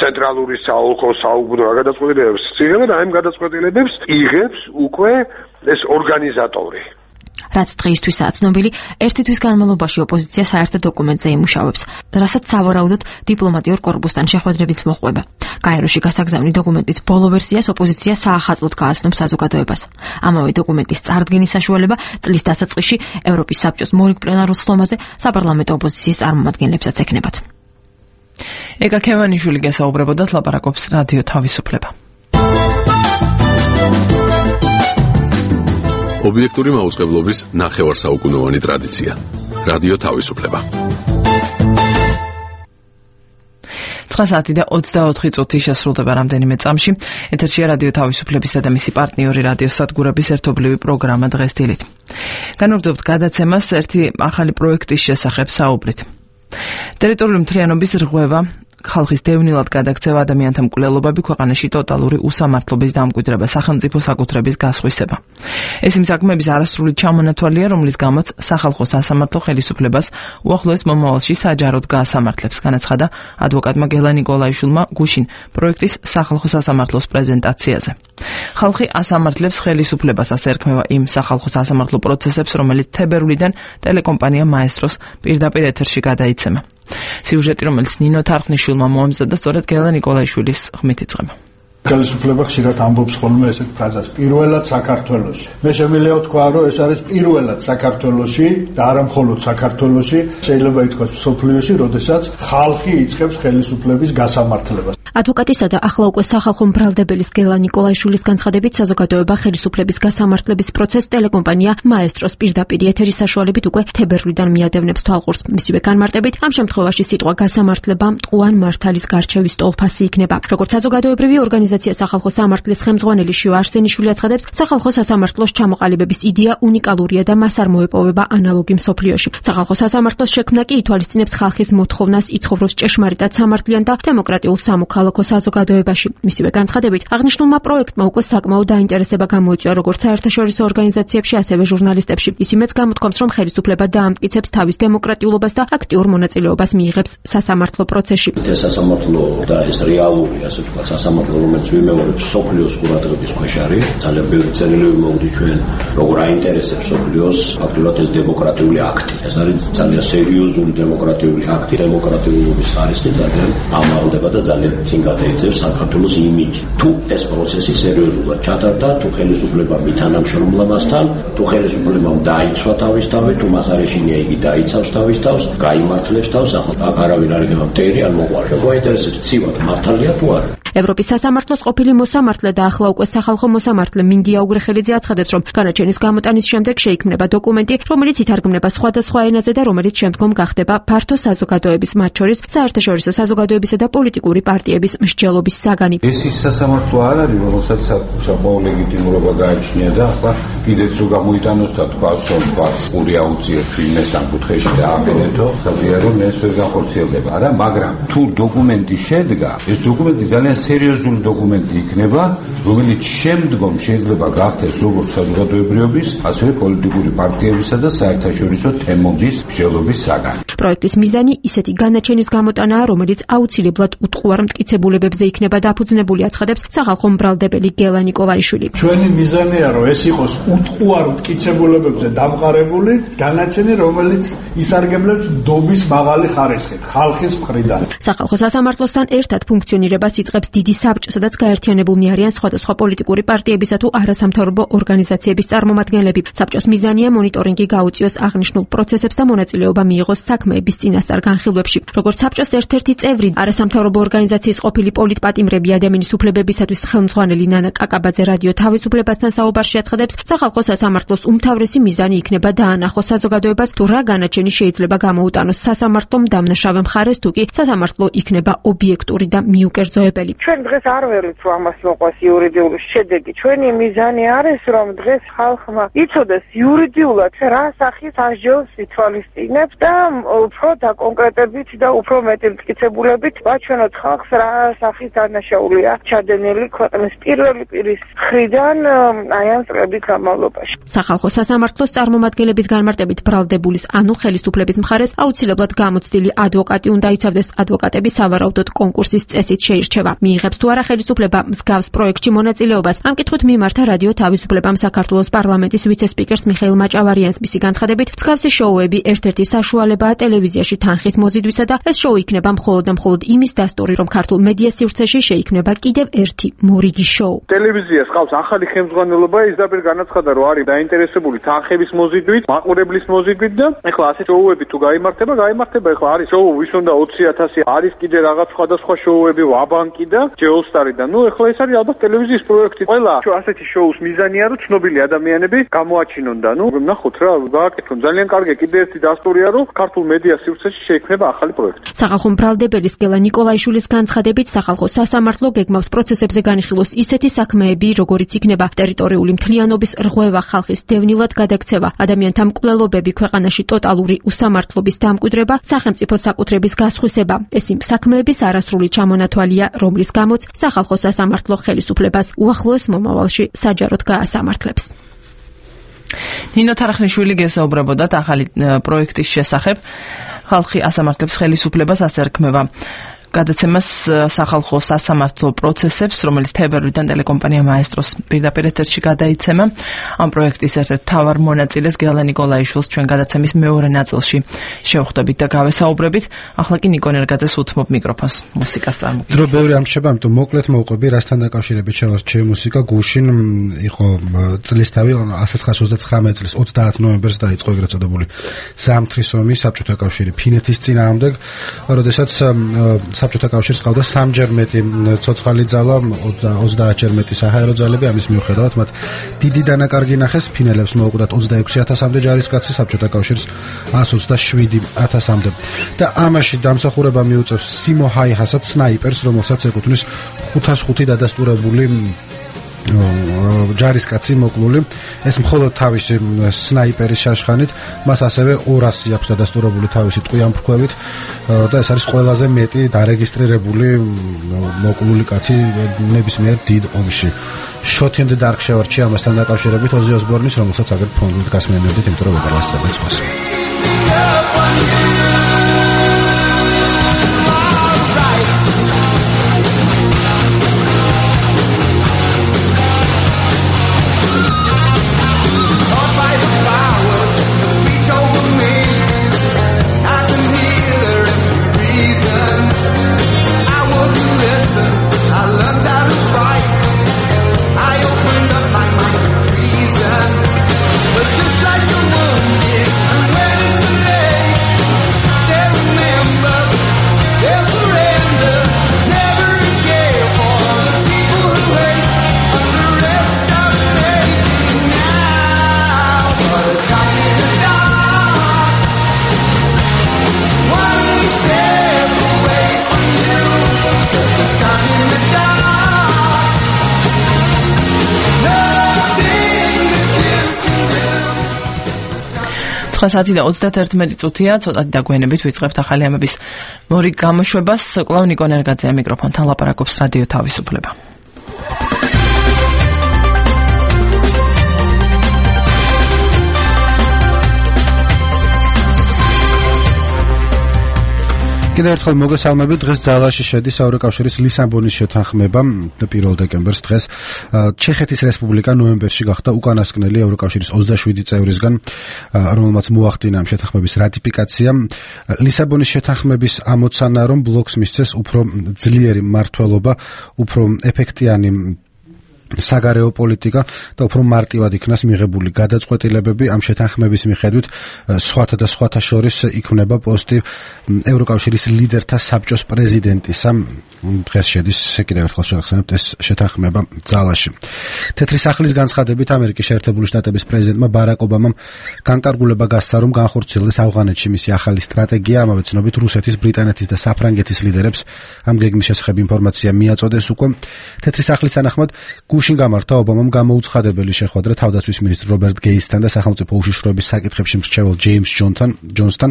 ცენტრალური საოლქო საუბნო რა გადაწყვეტილებებს იღებენ, აი ამ გადაწყვეტილებებს იღებს უკვე ეს ორგანიზატორი. რაც დღეისთვისაა ცნობილი, ერთი თვის განმავლობაში ოპოზიცია საერთო დოკუმენტზე იმუშავებს, რასაც სავარაუდოდ დიპლომატიურ კორპუსთან შეხვედრებით მოჰყვება. გაეროში გასაგზავნი დოკუმენტის ბოლო ვერსიას ოპოზიცია საახალწლოდ გააცნობს საზოგადოებას. ამავე დოკუმენტის წარდგენის საშუალება წლის დასაწყისში ევროპის საბჭოს მორიგ პლენარულ სხდომაზე საპარლამენტო ოპოზიციის წარმომადგენლებსაც ექნებათ. ეკა ქევანიშვილი გესაუბრებოდათ, ლაპარაკობს რადიო თავისუფლება. ობიექტური მაუწყებლობის ნახევარსაუკუნოვანი ტრადიცია. რადიო თავისუფლება. ცხრა საათი და ოცდაოთხი წუთი შესრულდება რამდენიმე წამში. ეთერშია რადიო თავისუფლებისა და მისი პარტნიორი რადიო სადგურების ერთობლივი პროგრამა დღეს დილით. განვაგრძობთ გადაცემას ერთი ახალი პროექტის შესახებ საუბრით. ტერიტორიული მთლიანობის რღვევა, ხალხის დევნილად გადაქცევა, ადამიანთა მკვლელობები, ქვეყანაში ტოტალური უსამართლობის დამკვიდრება, სახელმწიფო საკუთრების გასხვისება. ეს იმ საქმეების არასრული ჩამონათვალია, რომლის გამოც სახალხო სასამართლო ხელისუფლებას უახლოეს მომავალში საჯაროდ გაასამართლებს, განაცხადა ადვოკატმა გელა ნიკოლაიშვილმა გუშინ პროექტის სახალხო სასამართლოს პრეზენტაციაზე. ხალხი ასამართლებს ხელისუფლებას, ასე ერქმევა იმ სახალხო სასამართლო პროცესებს, რომელიც თებერვლიდან ტელეკომპანია მაესტროს პირდაპირ ეთერში გადაიცემა. სიუჟეტი, რომელიც ნინო თარხნიშვილმა მოამზადა, სწორედ გელა ნიკოლაიშვილის ხმით იწყება. ხელისუფლება ხშირად ამბობს ხოლმე ესეთ ფრაზას პირველად საქართველოში. მე შემიძლია ვთქვა, რომ ეს არის პირველად საქართველოში და არა მხოლოდ საქართველოში, შეიძლება ითქვას მსოფლიოში, როდესაც ხალხი იწყებს ხელისუფლების გასამართლებას. ადვოკატისა და ახლა უკვე სახალხო მბრალდებელის გელა ნიკოლაიშვილის განცხადებით საზოგადოება ხელისუფლების გასამართლების პროცესს ტელეკომპანია მაესტროს პირდაპირ ეთერის საშუალებით უკვე თებერვლიდან მიადევნებს თვალყურს. მისივე განმარტებით, ამ შემთხვევაში სიტყვა გასამართლება მტყუან მართალის გარჩევის ტოლფასი იქნება. როგორც საზოგადოებრივი ორგანიზაცია სახალხო სამართლის ხელმძღვანელი შიო არსენიშვილი აცხადებს, სახალხო სასამართლოს ჩამოყალიბების იდეა უნიკალურია და მას არ მოეპოვება ანალოგი მსოფლიოში. სახალხო სასამართლოს შექმნა კი ითვალისწინებს ხალხის მოთხოვნას იცხოვროს ჭეშმარიტად სამართლიან და დემოკრატიულ სამოქალაქო საზოგადოებაში. მისივე განცხადებით, აღნიშნულმა პროექტმა უკვე საკმაო დაინტერესება გამოიწვია როგორც საერთაშორისო ორგანიზაციებში, ასევე ჟურნალისტებში. ისიმეც გამოთქვამს, რომ ხელისუფლება დაამტკიცებს თავის დემოკრატიულობას და აქტიურ მონაწილეობას მიიღებს სასამართლო პროცესში. ეს სასამართლო და ეს რეალური, ასე ვთქვათ, სასამართლო, რომელიც ვიმეორებს სოფლიოს ყურადღების ქვეშ არის, ძალიან ბევრი წერილები მოვდი ჩვენ, როგორ აინტერესებს სოფლიოს ფაქტურად ეს დემოკრატიული აქტი. ეს არის ძალიან სერიოზული დემოკრატიული აქტი, დემოკრატიულობის ხარისხი ძალიან ამაღლდება და ძალიან წინ გადაეცემს საქართველოს იმიჯი. თუ ეს პროცესი სერიოზულად ჩატარდა, თუ ხელისუფლება მითანამშრომლა მასთან, თუ ხელისუფლებამ დაიცვა თავის თავი, თუ მას არ ეშინია იგი დაიცავს თავის თავს, გაიმართლებს თავს, ახლა აქ არავინ არ იქნება მტერი ან მოყვარე. მოინტერესებს ცივად მართალია თუ არა. ევროპის სასამართლოს ყოფილი მოსამართლე და ახლა უკვე სახალხო მოსამართლე მინდია უგრეხელიძე აცხადებს, რომ განაჩენის გამოტანის შემდეგ შეიქმნება დოკუმენტი, რომელიც ითარგმნება სხვადასხვა ენაზე და რომელიც შემდგომ გახდება ფართო საზოგადოების, მათ შორის საერთაშორისო საზოგადოებისა და პოლიტიკური პარტიების მსჯელობის საგანი. ეს ის სასამართლო არ არის, რომელსაც საკმაო ლეგიტიმურობა გააჩნია და ახლა კიდეც რო გამოიტანოს და თქვას, რომ თქვა პური აუციებს ვინმე სამკუთხედში და აბედეთო, საზიარო ეს ვერ განხორციელდება, არა, მაგრამ თუ დოკუმენტი შედგა, ეს დოკუმენტი ძალიან სერიოზული დოკუმენტი იქნება, რომელიც შემდგომ შეიძლება გახდეს როგორც საზოგადოებრიობის, ასევე პოლიტიკური პარტიებისა და საერთაშორისო თემების მსჯელობის საგანი. პროექტის მიზანი ისეთი განაჩენის გამოტანაა, რომელიც აუცილებლად უტყუარ მტკიცებულებებზე იქნება დაფუძნებული, აცხადებს სახალხო მბრალდებელი გელა ნიკოლაიშვილი. ჩვენი მიზანია, რომ ეს იყოს უტყუარ მტკიცებულებებზე დამყარებული განაჩენი, რომელიც ისარგებლებს დობის მაღალი ხარისხით ხალხის მხრიდან. სახალხო სასამართლოსთან ერთად ფუნქციონირებას იწყებს დიდი საბჭო, სადაც გაერთიანებულნი არიან სხვადასხვა პოლიტიკური პარტიებისა თუ არასამთავრობო ორგანიზაციების წარმომადგენლები. საბჭოს მიზანია მონიტორინგი გაუწიოს აღნიშნულ პროცესებს და მონაწილეობა მიიღოს საქმეების წინასწარ განხილვებში. როგორც საბჭოს ერთ-ერთი წევრი, არასამთავრობო ორგანიზაციის ყოფილი პოლიტპატიმრები ადამიანის უფლებებისათვის ხელმძღვანელი ნანა კაკაბაძე რადიო თავისუფლებასთან საუბარში აცხადებს, სახალხო სასამართლოს უმთავრესი მიზანი იქნება დაანახოს საზოგადოებას, თუ რა განაჩენი შეიძლება გამოუტანოს სასამართლომ დამნაშავე მხარეს, თუ კი სასამართლო იქნება ობიექტური და მიუკერძოებელი. ჩვენ დღეს არ ვერვით რომ ამას მოყვას იურიდიული შედეგი. ჩვენი მიზანი არის, რომ დღეს ხალხმა იცოდეს იურიდიულად რა სახის ასჯელს ითვალისწინებს და უფრო დაკონკრეტებით და უფრო მეტი მტკიცებულებით ვაჩვენოთ ხალხს რა სახის დანაშაულია ჩადენილი ქვეყნის პირველი პირის მხრიდან აი ამ წლების განმავლობაში. სახალხო სასამართლოს წარმომადგენლების განმარტებით ბრალდებულის ანუ ხელისუფლების მხარეს აუცილებლად გამოცდილი ადვოკატი უნდა იცავდეს, ადვოკატები სავარაუდოდ კონკურსის წესით შეირჩევა. მიიღებს თუ არა ხელისუფლება მსგავს პროექტში მონაწილეობას. ამ კითხვით მიმართა რადიო თავისუფლებამ საქართველოს პარლამენტის ვიცე-სპიკერს მიხეილ მაჭავარიანს. მისი განცხადებით, მსგავსი შოუები ერთ-ერთი საშუალებაა ტელევიზიაში თანხის მოზიდვისა და ეს შოუ იქნება მხოლოდ და მხოლოდ იმის დასტური, რომ ქართულ მედია სივრცეში შეიქმნება კიდევ ერთი მორიგი შოუ. ტელევიზიას ყავს ახალი ხელმძღვანელობა, ის დაბერ განაცხადა, რომ არის დაინტერესებული თანხების მოზიდვით, მაყურებლის მოზიდვით და ეხლა ასეთ შოუები თუ გაიმართება, გაიმართება. ეხლა არის შოუ ვის უნდა ოცი ათასი, არის კიდე რაღაც სხვადასხვა შოუები, ვაბანკი და ჯეოლსტარი და ნუ ეხლა ეს არის ალბათ ტელევიზიის პროექტი. ყველა ასეთი შოუს მიზანია, რომ ცნობილი ადამიანები გამოაჩინონ და ნუ ნახოთ რა, გააკეთონ. ძალიან კარგი კიდე ერთი დასტურია, რომ ქართულ მედია სივრცეში შეიქმნება ახალი პროექტი. სახალხო მბრალდებელის გელა ნიკოლაიშვილის განცხადებით, სახალხო სასამართლო გეგმავს პროცესებზე განიხილოს ისეთი საქმეები, როგორიც იქნება ტერიტორიული მთლიანობის რღვევა, ხალხის დევნილად გადაქცევა, ადამიანთა მკვლელობები, ქვეყანაში ტოტალური უსამართლობის დამკვიდრება, სახელმწიფო საკუთრების გასხვისება. ეს იმ საქმეების არასრული ჩამონათვალია, რომლის გამოც სახალხო სასამართლო ხელისუფლებას უახლოეს მომავალში საჯაროდ გაასამართლებს. ნინო თარხნიშვილი გესაუბრებოდათ ახალი პროექტის შესახებ. ხალხი ასამართლებს ხელისუფლებას, ასე რქმევა გადაცემას სახალხო სასამართლო პროცესებს, რომელიც თებერვლიდან ტელეკომპანია მაესტროს პირდაპირ ეთერში გადაიცემა. ამ პროექტის ერთ-ერთ მთავარ მონაწილეს გელა ნიკოლაიშვილს ჩვენ გადაცემის მეორე ნაწილში შევხვდებით და გავესაუბრებით. ახლა კი ნიკო ნერგაძეს უთმობ მიკროფონს მუსიკას წარმოგიდგენთ. დრო ბევრი არ მრჩება, ამიტომ მოკლედ მოვყვები, რასთან დაკავშირებით შევარჩიე მუსიკა. გუშინ იყო წლისთავი ასი ცხრაას ოცდათხრამეტი წლის ოცდაათ ნოემბერს დაიწყო ეგრეთ წოდებული ზამთრის ომი საბჭოთა კავშირი ფინეთის წინააღმდეგ, როდესაც საბჭოთა კავშირს ყავდა სამჯერ მეტი ცოცხალი ძალა, ოცდაათჯერ მეტი საჰაერო ძალები, ამის მიუხედავად მათ დიდი დანაკარგი ნახეს, ფინელებს მოუკვდათ ოცდაექვსი ათასამდე ჯარისკაცი, საბჭოთა კავშირს ას ოცდაშვიდი ათასამდე. და ამაში დამსახურება მიუწევს სიმო ჰაიჰასაც, სნაიპერს, რომელსაც ეკუთვნის ხუთას ხუთი დადასტურებული ჯარისკაცი მოკლული. ეს მხოლოდ თავისი სნაიპერის შაშხანით, მას ასევე ორასი აქვს დადასტურებული თავისი ტყვიამფრქვევით და ეს არის ყველაზე მეტი დარეგისტრირებული მოკლული კაცი ნებისმიერ დიდ ომში. Shot in the Dark შევარჩიე ამასთან დაკავშირებით ოზი ოსბორნის, რომელსაც აგერ ფონდით გასმენებდით, იმიტომ რომ ვერ ლასწრებთ სხვას. ცხრა და ოცდაათერთმეტი წუთია, ცოტათი დაგვიანებით ვიწყებთ ახალი ამების მორიგ გამოშვებას. კვლავ ნიკო ნერგაძე მიკროფონთან ლაპარაკობს რადიო თავისუფლება. კიდევ ერთხელ მოგესალმებით. დღეს ძალაში შედის ევროკავშირის ლისაბონის შეთანხმება პირველ დეკემბერს დღეს. ჩეხეთის რესპუბლიკა ნოემბერში გახდა უკანასკნელი ევროკავშირის ოცდაშვიდი წევრისგან, რომელმაც მოახდინა ამ შეთანხმების რატიფიკაცია. ლისაბონის შეთანხმების ამოცანა, რომ ბლოკს მისცეს უფრო ძლიერი მმართველობა, უფრო ეფექტიანი საგარეო პოლიტიკა და უფრო მარტივად იქნას მიღებული გადაწყვეტილებები. ამ შეთანხმების მიხედვით სხვათა და სხვათა შორის იქმნება პოსტი ევროკავშირის ლიდერთა საბჭოს პრეზიდენტისა. დღეს შედის კიდევ ერთხელ შევახსენებთ ეს შეთანხმება ძალაში. თეთრი სახლის განცხადებით ამერიკის შეერთებული შტატების პრეზიდენტმა ბარაკ ობამამ განკარგულება გასცა, რომ განხორციელდეს ავღანეთში მისი ახალი სტრატეგია. ამავე ცნობით რუსეთის, ბრიტანეთის და საფრანგეთის ლიდერებს ამ გეგმის შესახებ ინფორმაცია მიაწოდეს უკვე. თეთრი სახლის თანახმად გუშინ გამართა ობამამ გამოუცხადებელი შეხვედრა თავდაცვის მინისტრ რობერტ გეისთან და სახელმწიფო უშიშროების საკითხებში მრჩეველ ჯეიმს ჯონსთან,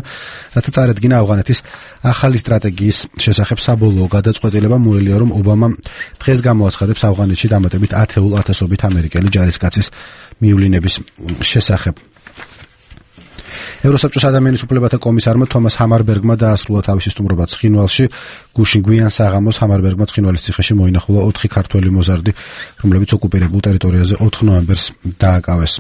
რათა წარედგინა ავღანეთის ახალი სტრატეგიის შესახებ საბოლოო გადაწყვეტილება. მოელია, რომ ობამა დღეს გამოაცხადებს ავღანეთში დამატებით ათეულ ათასობით ამერიკელი ჯარისკაცის მივლინების შესახებ. ევროსაბჭოს ადამიანის უფლებათა კომისარმა თომას ჰამარბერგმა დაასრულა თავისი სტუმრობა ცხინვალში. გუშინ გვიან საღამოს ჰამარბერგმა ცხინვალის ციხეში მოინახულა ოთხი ქართველი მოზარდი, რომლებიც ოკუპირებულ ტერიტორიაზე ოთხ ნოემბერს დააკავეს.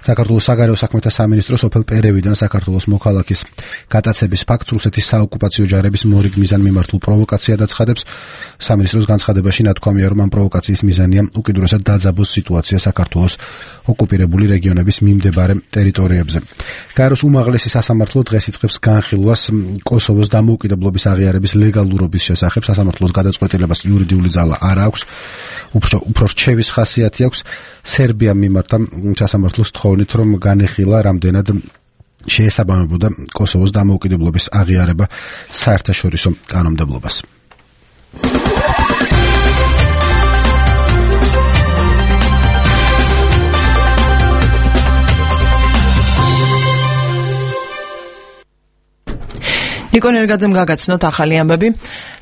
საქართველოს საგარეო საქმეთა სამინისტრო სოფელ პერევიდან საქართველოს მოქალაქის გატაცების ფაქტს რუსეთის საოკუპაციო ჯარების მორიგ მიზანმიმართულ პროვოკაციად აცხადებს. სამინისტროს განცხადებაში ნათქვამია, რომ ამ პროვოკაციის მიზანია უკიდურესად დაძაბოს სიტუაცია საქართველოს ოკუპირებული რეგიონების მიმდებარე ტერიტორიებზე. გაეროს უმაღლესი სასამართლო დღეს იწყებს განხილვას კოსოვოს დამოუკიდებლობის აღიარების ლეგალურობის შესახებ. სასამართლოს გადაწყვეტილებას იურიდიული ძალა არ აქვს, უფრო რჩევის ხასიათი აქვს. სერბიამ მიმართა სასამართლოს თხოვნით, რომ განეხილა რამდენად შეესაბამებოდა კოსოვოს დამოუკიდებლობის აღიარება საერთაშორისო კანონმდებლობას. ნიკო ნერგაძემ გაგაცნოთ ახალი ამბები.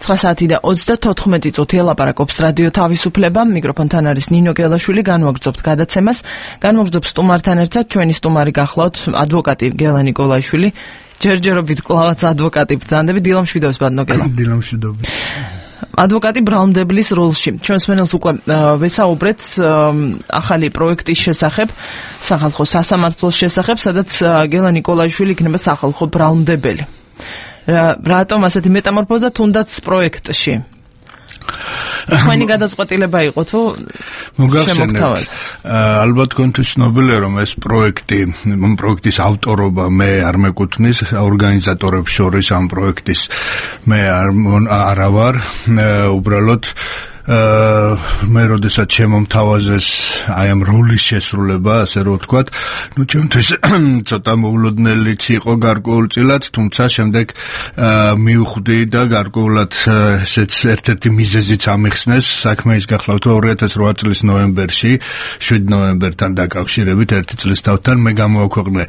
ცხრა საათი და ოცდათოთხმეტი წუთი ელაპარაკობს რადიო თავისუფლება. მიკროფონთან არის ნინო გელაშვილი. განვაგრძობთ გადაცემას. განვაგრძობთ სტუმართან ერთად. ჩვენი სტუმარი გახლავთ ადვოკატი გელა ნიკოლაიშვილი. ჯერჯერობით კლავაც ადვოკატი ბრძანდები. დილა მშვიდობს ბატონო გელა. დილა მშვიდობა. ადვოკატი ბრალმდებლის როლში. ჩვენს მენელს უკვე ვესაუბრეთ ახალი პროექტის შესახებ, სახალხო სასამართლოს შესახებ, სადაც გელა ნიკოლაიშვილი იქნება სახალხო ბრალმდებელი. რატომ ასეთი მეტამორფოზა თუნდაც პროექტში? თქვენი გადაწყვეტილება იყო თუ მოგახსენებთ? ალბათ თქვენთვის ცნობილია, რომ ეს პროექტი, პროექტის ავტორობა მე არ მეკუთვნის ორგანიზატორებს შორის ამ პროექტის მე არ ვარ, უბრალოდ მე როდესაც შემომთავაზეს აი ამ როლის შესრულება, ასე რომ ვთქვათ, ნუ ჩემთვის ცოტა მოულოდნელიც იყო გარკვეულწილად, თუმცა შემდეგ მივხვდი და გარკვეულად ესეც ერთ-ერთი მიზეზიც ამიხსნეს საქმე ის გახლავთ, რომ ორი ათას რვა წლის ნოემბერში, შვიდ ნოემბერთან დაკავშირებით ერთი წლის თავთან მე გამოვაქვეყნე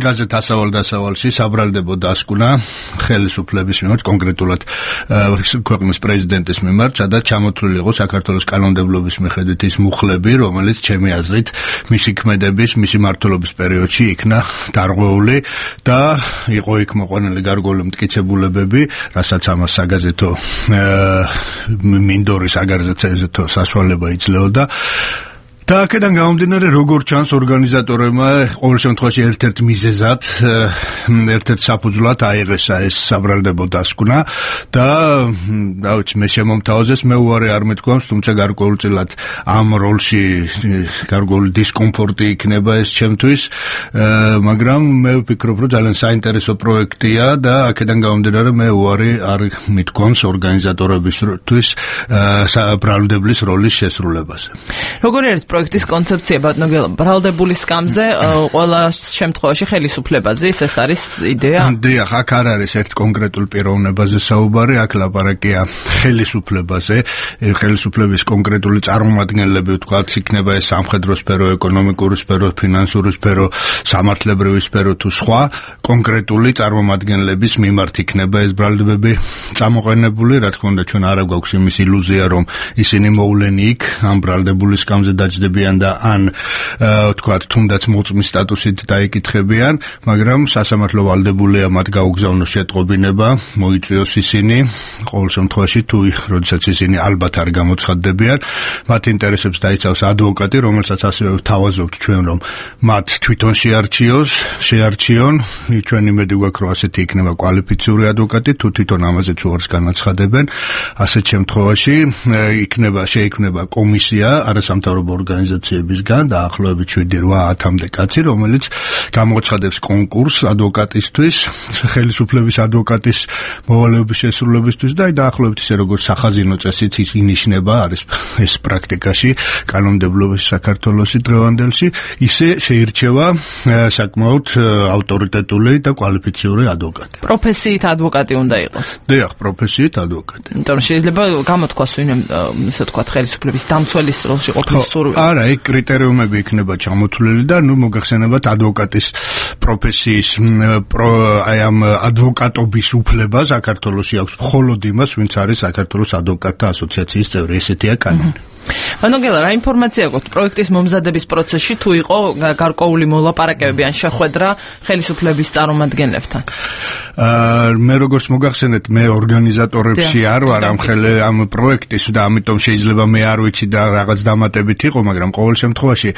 გაზეთ ასავალ დასავალში საბრალდებო დასკვნა ხელისუფლების მიმართ, კონკრეტულად ქვეყნის პრეზიდენტის მიმართ, სადაც ჩამოთვლილი იყო საქართველოს კანონმდებლობის მიხედვით ის მუხლები, რომელიც ჩემი აზრით მისი ქმედების, მისი მმართველობის პერიოდში იქნა დარღვეული და იყო იქ მოყვანილი გარკვეული მტკიცებულებები, რასაც ამას საგაზეთო მინდორის საგაზეთო საშუალება იძლეოდა. და აქედან გამომდინარე, როგორ ჩანს ორგანიზატორებმა ყოველ შემთხვევაში ერთ-ერთ მიზეზად, ერთ-ერთ საფუძვლად აიღესა ეს საბრალდებო დასკვნა და რა ვიცი, მე შემომთავაზეს, მე უარი არ მეთქვამს, თუმცა გარკვეულწილად ამ როლში გარკვეული დისკომფორტი იქნება ეს ჩემთვის, მაგრამ მე ვფიქრობ, რომ ძალიან საინტერესო პროექტია და აქედან გამომდინარე, მე უარი არ მეთქვამს ორგანიზატორებისთვის საბრალდებლის როლის შესრულებაზე. როგორი არის პროექტის კონცეფცია ბატონო გელა? ბრალდებული სკამზე ყველა შემთხვევაში ხელისუფლებაზე, ეს არის იდეა? დიახ, აქ არ არის ერთ კონკრეტულ პიროვნებაზე საუბარი, აქ ლაპარაკია ხელისუფლებაზე, ხელისუფლების კონკრეტული წარმომადგენლები, ვთქვათ, იქნება ეს სამხედრო სფერო, ეკონომიკური სფერო, ფინანსური სფერო, სამართლებრივი სფერო თუ სხვა კონკრეტული წარმომადგენლების მიმართ იქნება ეს ბრალდებები წამოყენებული. რა თქმა უნდა, ჩვენ არ გვაქვს იმის ილუზია, რომ ისინი მოვლენი იქ ამ ბრალდებული სკამზე დაჯდებიან და ან ვთქვათ, თუნდაც მოწმის სტატუსით დაიკითხებიან, მაგრამ სასამართლო ვალდებულია მათ გაუგზავნოს შეტყობინება, მოიწვიოს ისინი, ყოველ შემთხვევაში თუ როდესაც ისინი ალბათ არ გამოცხადდებიან, მათ ინტერესებს დაიცავს ადვოკატი, რომელსაც ასევე ვთავაზობთ ჩვენ, რომ მათ თვითონ შეარჩიოს, შეარჩიონ, ჩვენ იმედი გვაქვს, რომ ასეთი იქნება კვალიფიციური ადვოკატი, თუ თვითონ ამაზე უარს განაცხადებენ, ასეთ შემთხვევაში იქნება შეიქმნება კომისია არასამთავრობო ორგანიზაციებისგან დაახლოებით შვიდი რვა ათამდე კაცი, რომელიც გამოცხადებს კონკურსს ადვოკატისთვის, ხელისუფლების ადვოკატის მოვალეობის შესრულებისთვის და დაახლოებით ისე როგორც სახაზინო წესით ინიშნება, არის ეს პრაქტიკაში კანონმდებლობის საქართველოს დღევანდელში, ისე შეირჩევა საკმაოდ ავტორიტეტული და კვალიფიციური ადვოკატი. პროფესიით ადვოკატი უნდა იყოს. დიახ, პროფესიით ადვოკატი. იმიტომ რომ შეიძლება გამოთქვას ვინმე, ესე ვთქვათ, ხელისუფლების დამცველის როლში ყოფნის სურვილი. არა, იქ კრიტერიუმები იქნება ჩამოთვლილი და ნუ მოგახსენებათ ადვოკატის პროფესიის აი ამ ადვოკატობის უფლება საქართველოში აქვს მხოლოდ იმას, ვინც არის საქართველოს ადვოკატთა ასოციაციის წევრი, ესეთია კანონი. ბატონო გელა, რა ინფორმაცია გაქვთ პროექტის მომზადების პროცესში, თუ იყო გარკვეული მოლაპარაკებები ან შეხვედრა ხელისუფლების წარმომადგენლებთან? მე როგორც მოგახსენეთ, მე ორგანიზატორებში არ ვარ ამ ხელე ამ პროექტის და ამიტომ შეიძლება მე არ ვიცი და რაღაც დამატებით იყო, მაგრამ ყოველ შემთხვევაში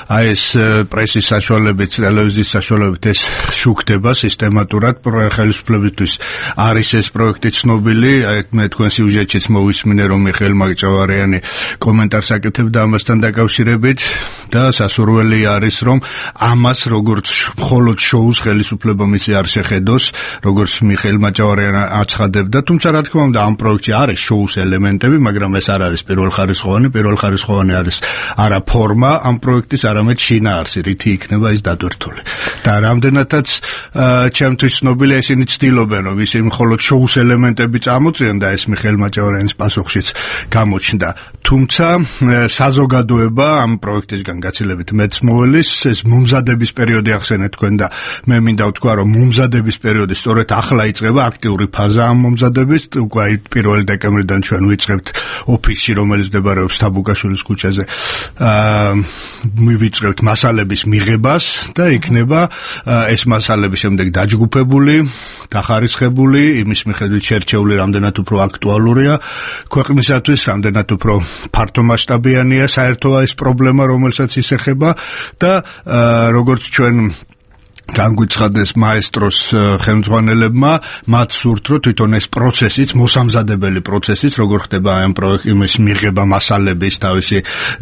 აი ეს პრესის საშუალებით, ტელევიზიის საშუალებით ეს შუქდება სისტემატურად ხელისუფლებისთვის. არის ეს პროექტი ცნობილი, აი მე თქვენ სიუჟეტშიც მოვისმინე, რომ მიხეილ მაჭავარიანი კომენტარს აკეთებდა ამასთან დაკავშირებით და სასურველი არის, რომ ამას როგორც მხოლოდ შოუს ხელისუფლება მისი არ შეხედოს, როგორც მიხეილ მაჭავარიანი აცხადებდა, თუმცა რა თქმა უნდა ამ პროექტში არის შოუს ელემენტები, მაგრამ ეს არ არის პირველხარისხოვანი, პირველხარისხოვანი არის არა ფორმა ამ პროექტის, არამედ შინაარსი, რითი იქნება ის დატვირთული. და რამდენადაც ჩემთვის ცნობილია, ისინი ცდილობენ, რომ ისინი მხოლოდ შოუს ელემენტები წამოწიონ და ეს მიხეილ მაჭავარიანის პასუხშიც გამოჩნდა. თუმცა და საზოგადოება ამ პროექტისგან გაცილებით მეც მოველის ეს მომზადების პერიოდი ახსენეთ თქვენ და მე მინდა ვთქვა რომ მომზადების პერიოდი სწორედ ახლა იწყება აქტიური ფაზა ამ მომზადების უკვე პირველი დეკემბრიდან ჩვენ ვიწყებთ ოფისში რომელიც მდებარეობს თაბუკაშვილის ქუჩაზე აა მივიწყებთ მასალების მიღებას და იქნება ეს მასალები შემდეგ დაჯგუფებული დახარისხებული იმის მიხედვით შერჩეული რამდენად უფრო აქტუალურია ქვეყნისათვის რამდენად უფრო ფართომასშტაბიანია საერთოა ეს პრობლემა რომელსაც ისეხება და როგორც ჩვენ განგვიცხადეს მაესტროს ხელმძღვანელებმა მათ სურთ რომ თვითონ ეს პროცესიც მოსამზადებელი პროცესიც როგორ ხდება ამ პროექტის მიღება მასალების თავისი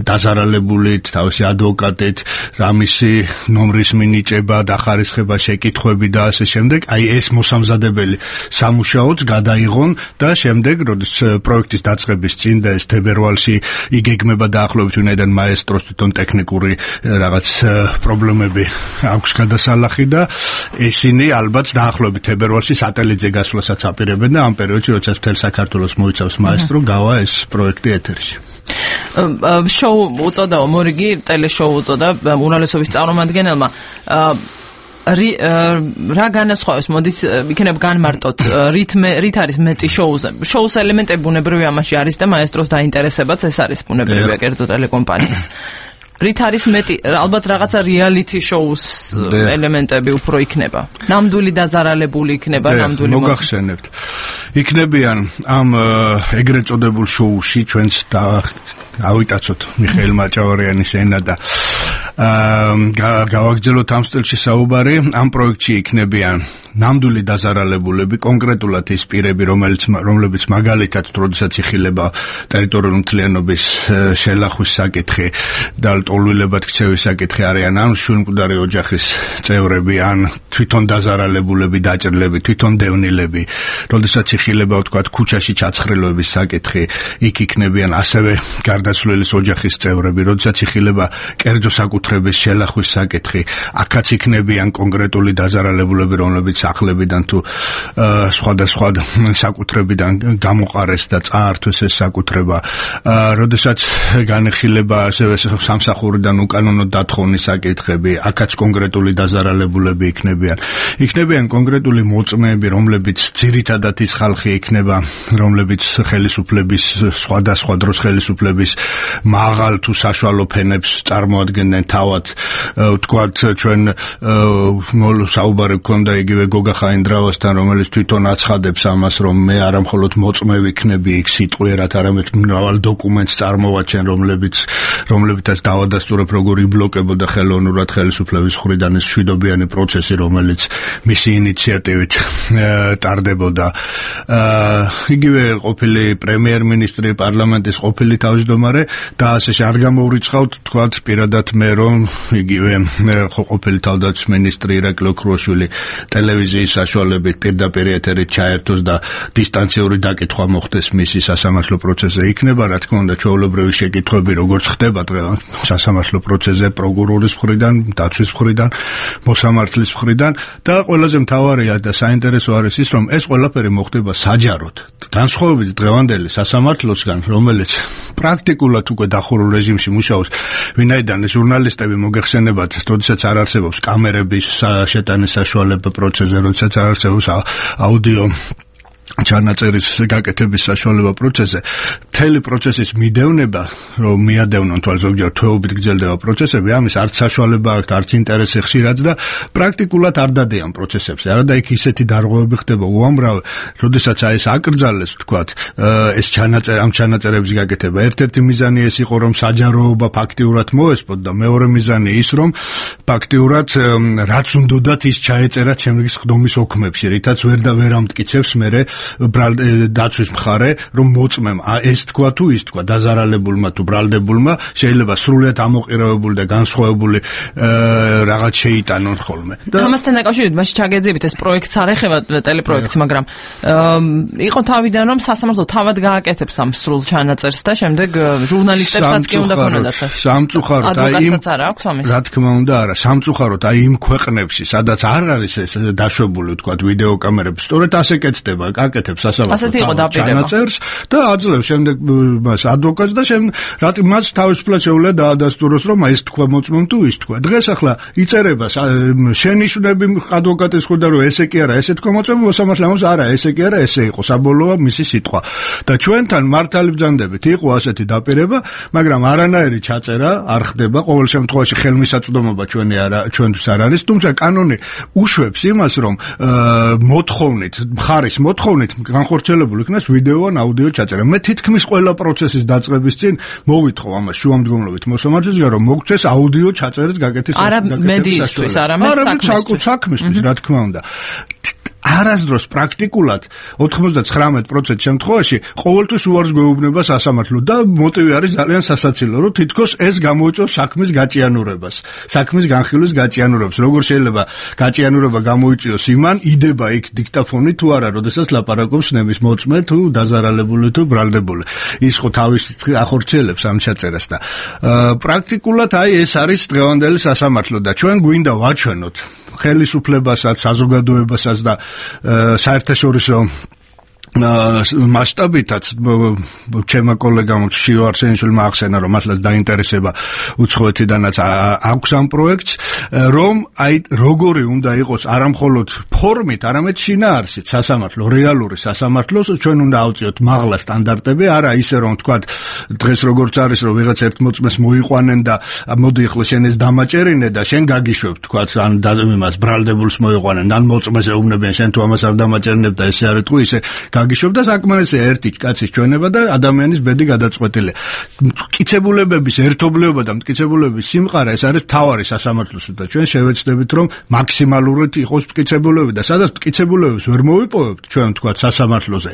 დაზარალებულით თავისი ადვოკატით რამისი ნომრის მინიჭება დახარისხება შეკითხვები და ასე შემდეგ აი ეს მოსამზადებელი სამუშაოც გადაიღონ და შემდეგ როდის პროექტის დაწყების წინ და ეს თებერვალში იგეგმება დაახლოებით ვინაიდან მაესტროს თვითონ ტექნიკური რაღაც პრობლემები აქვს გადასალახი და ისინი ალბათ დაახლოებით თებერვალში სატელიტზე გასვლასაც აპირებენ და ამ პერიოდში როდესაც მთელ საქართველოს მოიცავს მაესტრო გავა ეს პროექტი ეთერში შოუ უწოდაო მორიგი ტელეშოუ უწოდა უმრავლესობის წარმომადგენელმა რა განასხვავებს მოდით იქნებ განმარტოთ რითმე რით არის მეტი შოუზე შოუს ელემენტები ბუნებრივია ამაში არის და მაესტროს დაინტერესებაც ეს არის ბუნებრივია კერძო ტელეკომპანიის რით არის მეტი ალბათ რაღაცა რეალიტი შოუს ელემენტები უფრო იქნება ნამდვილი დაზარალებული იქნება ნამდვილი მოგახსენებთ იქნებიან ამ ეგრეთ წოდებულ შოუში ჩვენს და ავიტაცოთ მიხეილ მაჭავარიანის ენა და გავაგრძელოთ ამ სტილში საუბარი ამ პროექტში იქნებიან ნამდვილი დაზარალებულები კონკრეტულად ის პირები რომელიც რომლებიც მაგალითად როდესაც იხილება ტერიტორიული მთლიანობის შელახვის საკითხი და ტოლვილებად ქცევის საკითხი არიან ან შვილმკვდარი ოჯახის წევრები ან თვითონ დაზარალებულები დაჭრილები თვითონ დევნილები როდესაც იხილება ვთქვათ ქუჩაში ჩაცხრილობის საკითხი იქ იქნებიან ასევე გარდაცვლილის ოჯახის წევრები როდესაც იხილება კერძო საკუთრების შელახვის საკითხი აქაც იქნებიან კონკრეტული დაზარალებულები რომლებიც სახლებიდან თუ სხვადასხვა საკუთრებიდან გამოყარეს და წაართვეს ეს საკუთრება როდესაც განეხილება ასევე სამსახურიდან უკანონო დათხოვნის საკითხები აქაც კონკრეტული დაზარალებულები იქნებიან იქნებიან კონკრეტული მოწმეები რომლებიც ძირითადად ის ხალხი იქნება რომლებიც ხელისუფლების სხვადასხვა დროს ხელისუფლების მაღალ თუ საშუალო ფენებს წარმოადგენენ თავად ვთქვათ ჩვენ საუბარი გქონდა იგივე გოგა ხაინდრავასთან რომელიც თვითონ აცხადებს ამას რომ მე არა მხოლოდ მოწმე ვიქნები იქ სიტყვიერად არამედ მრავალ დოკუმენტს წარმოვაჩენ რომლებიც რომლებითაც დავადასტურებ როგორ იბლოკებოდა ხელოვნურად ხელისუფლების მხრიდან ეს მშვიდობიანი პროცესი რომელიც მისი ინიციატივით ტარდებოდა იგივე ყოფილი პრემიერ-მინისტრი პარლამენტის ყოფილი თავმჯდომარე და ასე არ გამოვრიცხავთ თქვათ პირადად მე რომ იგივე ყოფილი თავდაცვის მინისტრი ირაკლი ოქრუაშვილი ტელევიზიის საშუალებით პირდაპირ ეთერით ჩაერთოს და დისტანციური დაკითხვა მოხდეს მისი სასამართლო პროცესზე იქნება რა თქმა უნდა ჩვეულებრივი შეკითხვები როგორც ხდება დღევანდელ სასამართლო პროცესზე პროკურორის მხრიდან დაცვის მხრიდან მოსამართლის მხრიდან და ყველაზე მთავარია და საინტერესო არის ის რომ ეს ყველაფერი მოხდება საჯაროდ განსხვავებით დღევანდელი სასამართლოსგან რომელიც პრაქტიკულად უკვე დახურულ რეჟიმში მუშაობს ვინაიდან ჟურნალისტები მოგეხსენებათ როდესაც არ არსებობს კამერების შეტანის საშუალება პროცესზე როდესაც არ არსებობს აუდიო ჩანაწერის გაკეთების საშუალება პროცესზე მთელი პროცესის მიდევნება რომ მიადევნონ თვალ ზოგჯერ თვეობით გრძელდება პროცესები ამის არც საშუალება აქვს არც ინტერესი ხშირად და პრაქტიკულად არ დადიან პროცესებზე არა და იქ ისეთი დარღვევები ხდება უამრავი როდესაც აი ეს აკრძალეს ვთქვათ ეს ჩანაწერი ამ ჩანაწერების გაკეთება ერთ-ერთი მიზანი ეს იყო რომ საჯაროობა ფაქტიურად მოესპოთ და მეორე მიზანი ის რომ ფაქტიურად რაც უნდათ ის ჩაეწერა ჩემს ხდომის ოქმებში რითაც ვერ და ვერ ამტკიცებს მე დაცვის მხარე რომ მოწმემ ეს თქვა თუ ის თქვა დაზარალებულმა თუ ბრალდებულმა შეიძლება სრულიად ამოყირებებული და განსხვავებული რაღაც შეიტანონ ხოლმე და ამასთან დაკავშირებით მაშინ ჩაგეძებით ეს პროექტს არ ეხება ტელეპროექტს მაგრამ იყო თავიდან რომ სასამართლო თავად გააკეთებს ამ სრულ ჩანაწერს და შემდეგ ჟურნალისტებსაც კი უნდა ქონოდათ სამწუხაროდ აი იმ რა თქმა უნდა არა სამწუხაროდ აი იმ ქვეყნებში სადაც არ არის ეს დაშვებული თქვა ვიდეო კამერები სწორედ ასე კეთდება აკეთებს სასამართლო ჩანაწერს და აძლევს შემდეგ მას ადვოკატს და რატი მას თავისუფლად შეუძლია დაადასტუროს რომ ეს თქვა მოწმობ თუ ის თქვა. დღეს ახლა იწერება შენიშვნები ადვოკატის ხვდა რომ ესე კი არა, ესე თქვა მოწმობ მოსამართლე ამას არა, ესე კი არა, ესე იყო საბოლოო მისი სიტყვა. და ჩვენთან მართალი ბრძანდებით იყო ასეთი დაპირება, მაგრამ არანაირი ჩაწერა არ ხდება, ყოველ შემთხვევაში ხელმისაწვდომობა ჩვენი არა ჩვენთვის არ არის, თუმცა კანონი უშვებს იმას, რომ მოთხოვნით, მხარის მოთხოვნით განხორციელებული იქნას ვიდეო ან აუდიო ჩაწერა. მე თითქმის ყველა პროცესის დაწყების წინ მოვითხოვ ამას შუამდგომლობით მოსამართლესგან, რომ მოგცეს აუდიო ჩაწერის გაკეთების არა მედიისთვის, არამედ საქმისთვის, რა თქმა უნდა. არასდროს პრაქტიკულად ოთხმოცდათხრამეტ პროცენტ შემთხვევაში ყოველთვის უარს გვეუბნება სასამართლო და მოტივი არის ძალიან სასაცილო, რომ თითქოს ეს გამოიწვევს საქმის გაჭიანურებას, საქმის განხილვის გაჭიანურებას. როგორ შეიძლება გაჭიანურება გამოიწვიოს იმან, იდება იქ დიქტაფონი თუ არა, როდესაც ლაპარაკობს ნების მოწმე თუ დაზარალებული თუ ბრალდებული. ის ხო თავის ახორციელებს ამ ჩაწერას და პრაქტიკულად აი ეს არის დღევანდელი სასამართლო და ჩვენ გვინდა ვაჩვენოთ ხელისუფლებასაც, საზოგადოებასაც და საერთაშორისო მასშტაბითაც ჩემმა კოლეგამ შიო არსენიშვილმა ახსენა, რომ მართლაც დაინტერესება უცხოეთიდანაც აქვს ამ პროექტს, რომ აი როგორი უნდა იყოს არამხოლოდ ფორმით, არამედ შინაარსით სასამართლო, რეალური სასამართლოს ჩვენ უნდა ავწიოთ მაღლა სტანდარტები, არა ისე რომ თქვათ დღეს როგორც არის, რომ ვიღაც ერთ მოწმეს მოიყვანენ და მოდი ახლა შენ ეს დამაჭერინე და შენ გაგიშვებ, თქვათ ან იმას ბრალდებულს მოიყვანენ, ან მოწმეს ეუბნებიან, შენ თუ ამას არ დამაჭერინებ და ესე არის თუ ისე გაგიშვებ და საკმარისია ერთი კაცის ჩვენება და ადამიანის ბედი გადაწყვეტილია. მტკიცებულებების ერთობლიობა და მტკიცებულებების სიმყარა ეს არის მთავარი სასამართლოს და ჩვენ შევეცდებით რომ მაქსიმალურად იყოს მტკიცებულები და სადაც მტკიცებულებებს ვერ მოვიპოვებთ ჩვენ თქვათ სასამართლოზე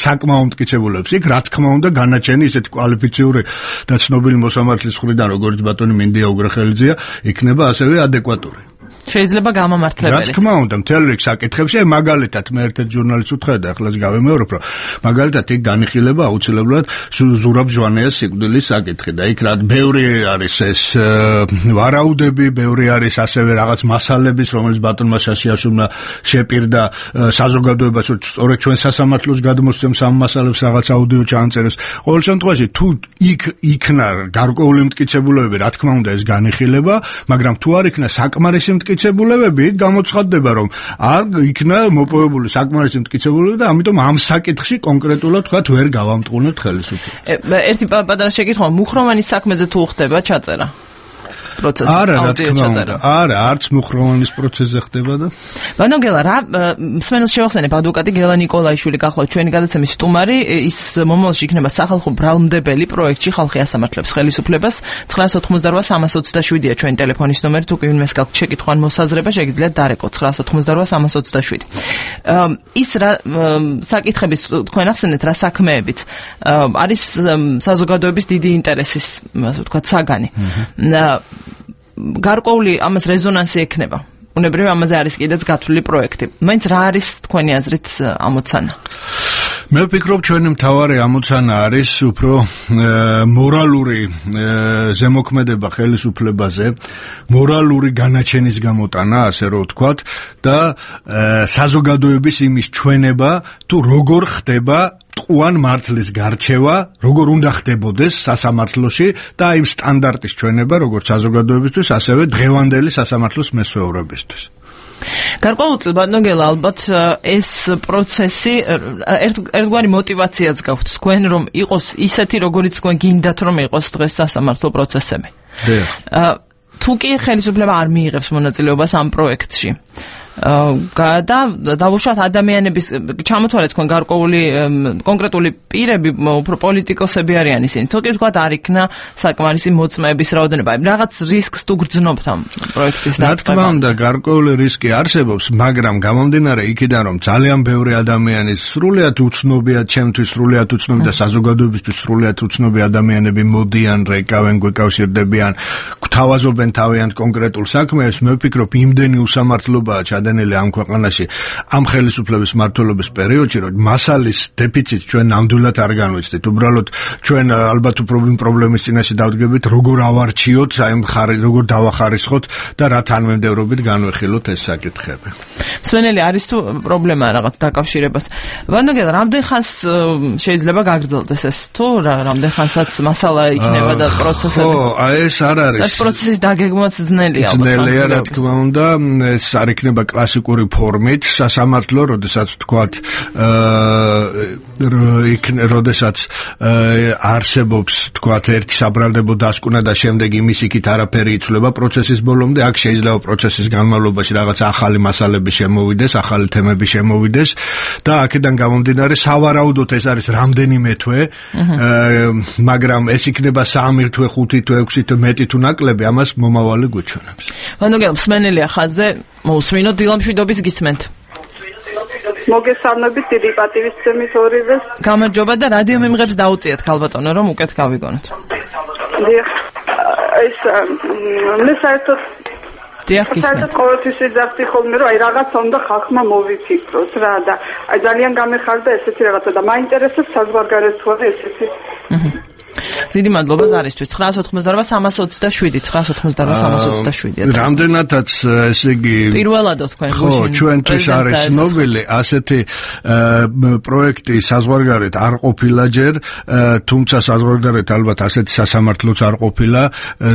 საკმაო მტკიცებულებს იქ რა თქმა უნდა განაჩენი ისეთი კვალიფიციური და ცნობილი მოსამართლის მხრიდან როგორც ბატონი მინდია უგრახელიძეა იქნება ასევე ადეკვატური. შეიძლება გამამართლებელი. რა თქმა უნდა, მთელ რიგ საკითხებში, მაგალითად, მე ერთ-ერთ ჟურნალისტს ვთხოვე და ახლაც გავემეორებ, რომ მაგალითად იქ განიხილება აუცილებლად ზურაბ ჟვანეას სიკვდილის საკითხი და იქ რა ბევრი არის ეს ვარაუდები, ბევრი არის ასევე რაღაც მასალების, რომელიც ბატონმა შაშიაშვილმა შეპირდა საზოგადოებას, რომ სწორედ ჩვენ სასამართლოს გადმოსცემს ამ მასალებს რაღაც აუდიო ჩაანწერებს. ყოველ შემთხვევაში, თუ იქ იქნა გარკვეული მტკიცებულებები, რა თქმა უნდა, ეს განიხილება, მაგრამ თუ არ იქნა საკმარისი მტკიცებულებები, გამოცხადდება, რომ არ იქნა მოპოვებული საკმარისი მტკიცებულებები და ამიტომ ამ საკითხში კონკრეტულად თქვა ვერ გავამტყუნებთ ხელისუფლებას. ერთი პატარა შეკითხვა, მუხროვანის საქმეზე თუ ხდება ჩაწერა? პროცესის აუდიო ჩაწერა. არა, არც მუხროვანის პროცესზე ხდება და ბანო გელა, რა მსმენელს შევახსენებ, ადვოკატი გელა ნიკოლაიშვილი გახლავთ ჩვენი გადაცემის სტუმარი, ის მომავალში იქნება სახალხო ბრალმდებელი პროექტში ხალხი ასამართლებს ხელისუფლებას. ცხრაას ოცდაოთხმოცდარვა სამას ოცდაშვიდია ჩვენი ტელეფონის ნომერი, თუ კი ვინმეს გაქვთ შეკითხვა ან მოსაზრება, შეგიძლიათ დარეკო ცხრაას ოცდაოთხმოცდარვა სამას ოცდაშვიდი. ის რა საკითხების თქვენ ახსენეთ რა საქმეებით არის საზოგადოების დიდი ინტერესის, ასე ვთქვათ, საგანი. გარკვეული ამას რეზონანსი ექნება. უნებრივი ამაზე არის კიდეც გათვლილი პროექტი. მაინც რა არის თქვენი აზრით ამოცანა? მე ვფიქრობ, ჩვენი მთავარი ამოცანა არის უფრო მორალური ზემოქმედება ხელისუფლებაზე, მორალური განაჩენის გამოტანა, ასე რომ ვთქვათ, და საზოგადოების იმის ჩვენება, თუ როგორ ხდება ტყუან მართლის გარჩევა, როგორ უნდა ხდებოდეს სასამართლოში და იმ სტანდარტის ჩვენება, როგორც საზოგადოებისთვის, ასევე დღევანდელი სასამართლოს მესვეურებისთვის. გარკვეულწილად ბატონგელა, ალბათ ეს პროცესი ერთგვარი მოტივაციაც გაქვთ თქვენ, რომ იყოს ისეთი, როგორიც თქვენ გინდათ, რომ იყოს დღეს სასამართლო პროცესები. თუ კი ხელისუფლება არ მიიღებს მონაწილეობას ამ პროექტში, და დავუშვათ ადამიანების ჩამოთვალეთ თქვენ გარკვეული კონკრეტული პირები, უფრო პოლიტიკოსები არიან ისინი. თუ კი ვთქვათ, არ იქნა საკმარისი მოწმეების რაოდენობა, რაღაც რისკს თუ გრძნობთ ამ პროექტის დაწყება? რა თქმა უნდა, გარკვეული რისკი არსებობს, მაგრამ გამომდინარე იქიდან, რომ ძალიან ბევრი ადამიანის სრულიად უცნობია, ჩემთვის სრულიად უცნობი და საზოგადოებისთვის სრულიად უცნობი ადამიანები მოდიან, რეკავენ, გვეკავშირდებიან, გვთავაზობენ თავიანთ კონკრეტულ საქმეებს, მე ვფიქრობ, იმდენი უსამართლობაა ჩადენილი ამ ქვეყანაში ამ ხელისუფლების მმართველობის პერიოდში, რომ მასალის დეფიციტს ჩვენ ნამდვილად არ განვიცდით. უბრალოდ ჩვენ ალბათ უფრო პრობლემის წინაშე დავდგებით, როგორ ავარჩიოთ, აი მხარი როგორ დავახარისხოთ და რა თანმიმდევრობით განვეხილოთ ეს საკითხები. სვენელი არის თუ პრობლემა რაღაც დაკავშირებას. ვანოგენ რამდენ ხანს შეიძლება გაგრძელდეს ეს თუ რამდენ ხანსაც მასალა იქნება და პროცესები? ხო, აი ეს არ არის. ეს პროცესის დაგეგმვაც ძნელია ალბათ. ძნელია, რა თქმა უნდა, ეს არ იქნება კლასიკური ფორმით, სასამართლო, როდესაც თქვათ, აა როდესაც არსებობს, თქვათ, ერთი საბრალდებო დასკვნა და შემდეგ იმის იქით არაფერი იცვლება პროცესის ბოლომდე, აქ შეიძლება პროცესის განმავლობაში რაღაც ახალი მასალები შემოვიდეს, ახალი თემები შემოვიდეს და აქედან გამომდინარე სავარაუდოდ ეს არის რამდენიმე თვე, მაგრამ ეს იქნება სამი თვე, ხუთი თვე, ექვსი თვე, მეტი თუ ნაკლები, ამას მომავალი გვიჩვენებს. ვანოგენ მსმენელია ხაზზე, მოусმინოთ დილამშვიდობის გისმენთ. მოგესალმებით, დიდი პატივისცემით ორივეს. გამარჯობა და რადიო მიმღებს დაუწიეთ ქალბატონო, რომ უკეთ გავიგონოთ. დიახ, ეს მე საერთოდ დიახ, გისმენთ. საერთოდ ყოველთვის ვიძახდი ხოლმე, რომ აი რაღაც უნდა ხალხმა მოვიფიქროს რა და აი ძალიან გამეხარდა ესეთი რაღაცა და მაინტერესებს საზღვარგარეთ თუ არა ესეთი. დიდი მადლობა ზარისთვის. ცხრაას ოთხმოცდარვა სამას ოცდაშვიდი, ცხრაას ოცდაშვიდი, სამას ოცდაშვიდი. რამდენადაც ესე იგი პირველადო თქვენ ხო, ჩვენთვის არის ცნობილი ასეთი პროექტი საზღვარგარეთ არ ყოფილა ჯერ, თუმცა საზღვარგარეთ ალბათ ასეთი სასამართლოც არ ყოფილა,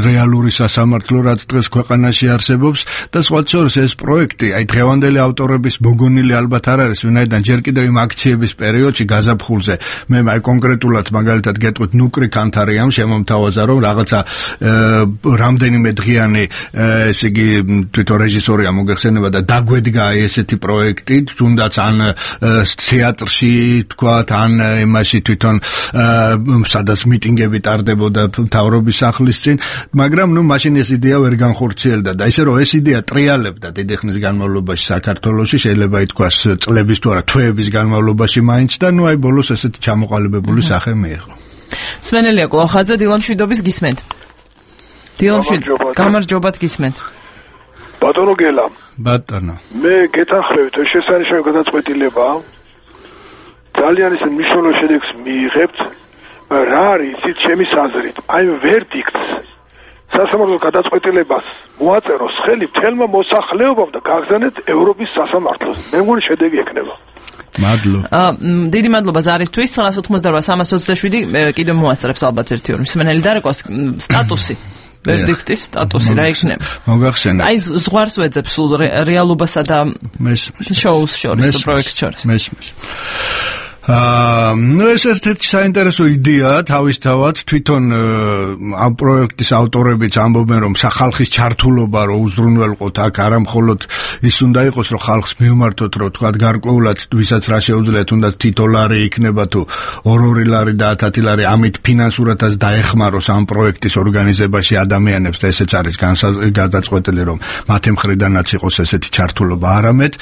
რეალური სასამართლო, რაც დღეს ქვეყანაში არსებობს და სხვა შორის ეს პროექტი, აი დღევანდელი ავტორების მოგონილი ალბათ არ არის, ვინაიდან ჯერ კიდევ იმ აქციების პერიოდში გაზაფხულზე მე აი კონკრეტულად მაგალითად გეტყვით ნუკრი კანთარიამ შემომთავაზა რომ რაღაცა რამდენიმე დღიანი ესე იგი თვითონ რეჟისორია მოგეხსენება და დაგვედგა ესეთი პროექტი თუნდაც ან თეატრში თქვათ ან იმაში თვითონ სადაც მიტინგები ტარდებოდა მთავრობის სახლის წინ მაგრამ ნუ მაშინ ეს იდეა ვერ განხორციელდა და ისე რომ ეს იდეა ტრიალებდა დიდი ხნის განმავლობაში საქართველოში შეიძლება ითქვას წლების თუ არა თვეების განმავლობაში მაინც და ნუ აი ბოლოს ესეთი ჩამოყალიბებული სახე მიიღო. სვენელია კოლხაძე დილამშვიდობის გისმენთ. დილამშვიდობა. გამარჯობათ გისმენთ. ბატონო გელა. ბატონო. მე გეთანხმებით ეს შესანიშნავი გადაწყვეტილება. ძალიან ისე მნიშვნელოვან შედეგს მიიღებთ. რა არის იცით ჩემის აზრით? აი ვერდიქტს სასამართლოს გადაწყვეტილებას მოაწეროს ხელი მთელმა მოსახლეობამ და გაგზავნეთ ევროპის სასამართლოს. მე მგონი შედეგი ექნება. მადლობა. დიდი მადლობა ზარისთვის. ცხრაას ოცდაოთხმოცდარვა სამას ოცდაშვიდი კიდევ მოასწრებს ალბათ ერთი ორი მსმენელი დარეკოს სტატუსი. ვერდიქტის სტატუსი რა იქნება? მოგახსენე. აი ზღვარს ვეძებს სულ რეალობასა და შოუს შორის, პროექტს შორის. მესმის. აა ნუ ეს ერთ-ერთი საინტერესო იდეაა თავისთავად თვითონ ამ პროექტის ავტორებიც ამბობენ რომ სახალხის ჩართულობა რო უზრუნველყოთ აქ არა მხოლოდ ის უნდა იყოს რომ ხალხს მივმართოთ რომ თქვა გარკვეულად ვისაც რა შეუძლია თუნდაც თითო ლარი იქნება თუ ორ-ორი ლარი და ათი ლარი ამით ფინანსურადაც დაეხმაროს ამ პროექტის ორგანიზებაში ადამიანებს და ესეც არის გადაწყვეტილი რომ მათი მხრიდანაც იყოს ესეთი ჩართულობა არამედ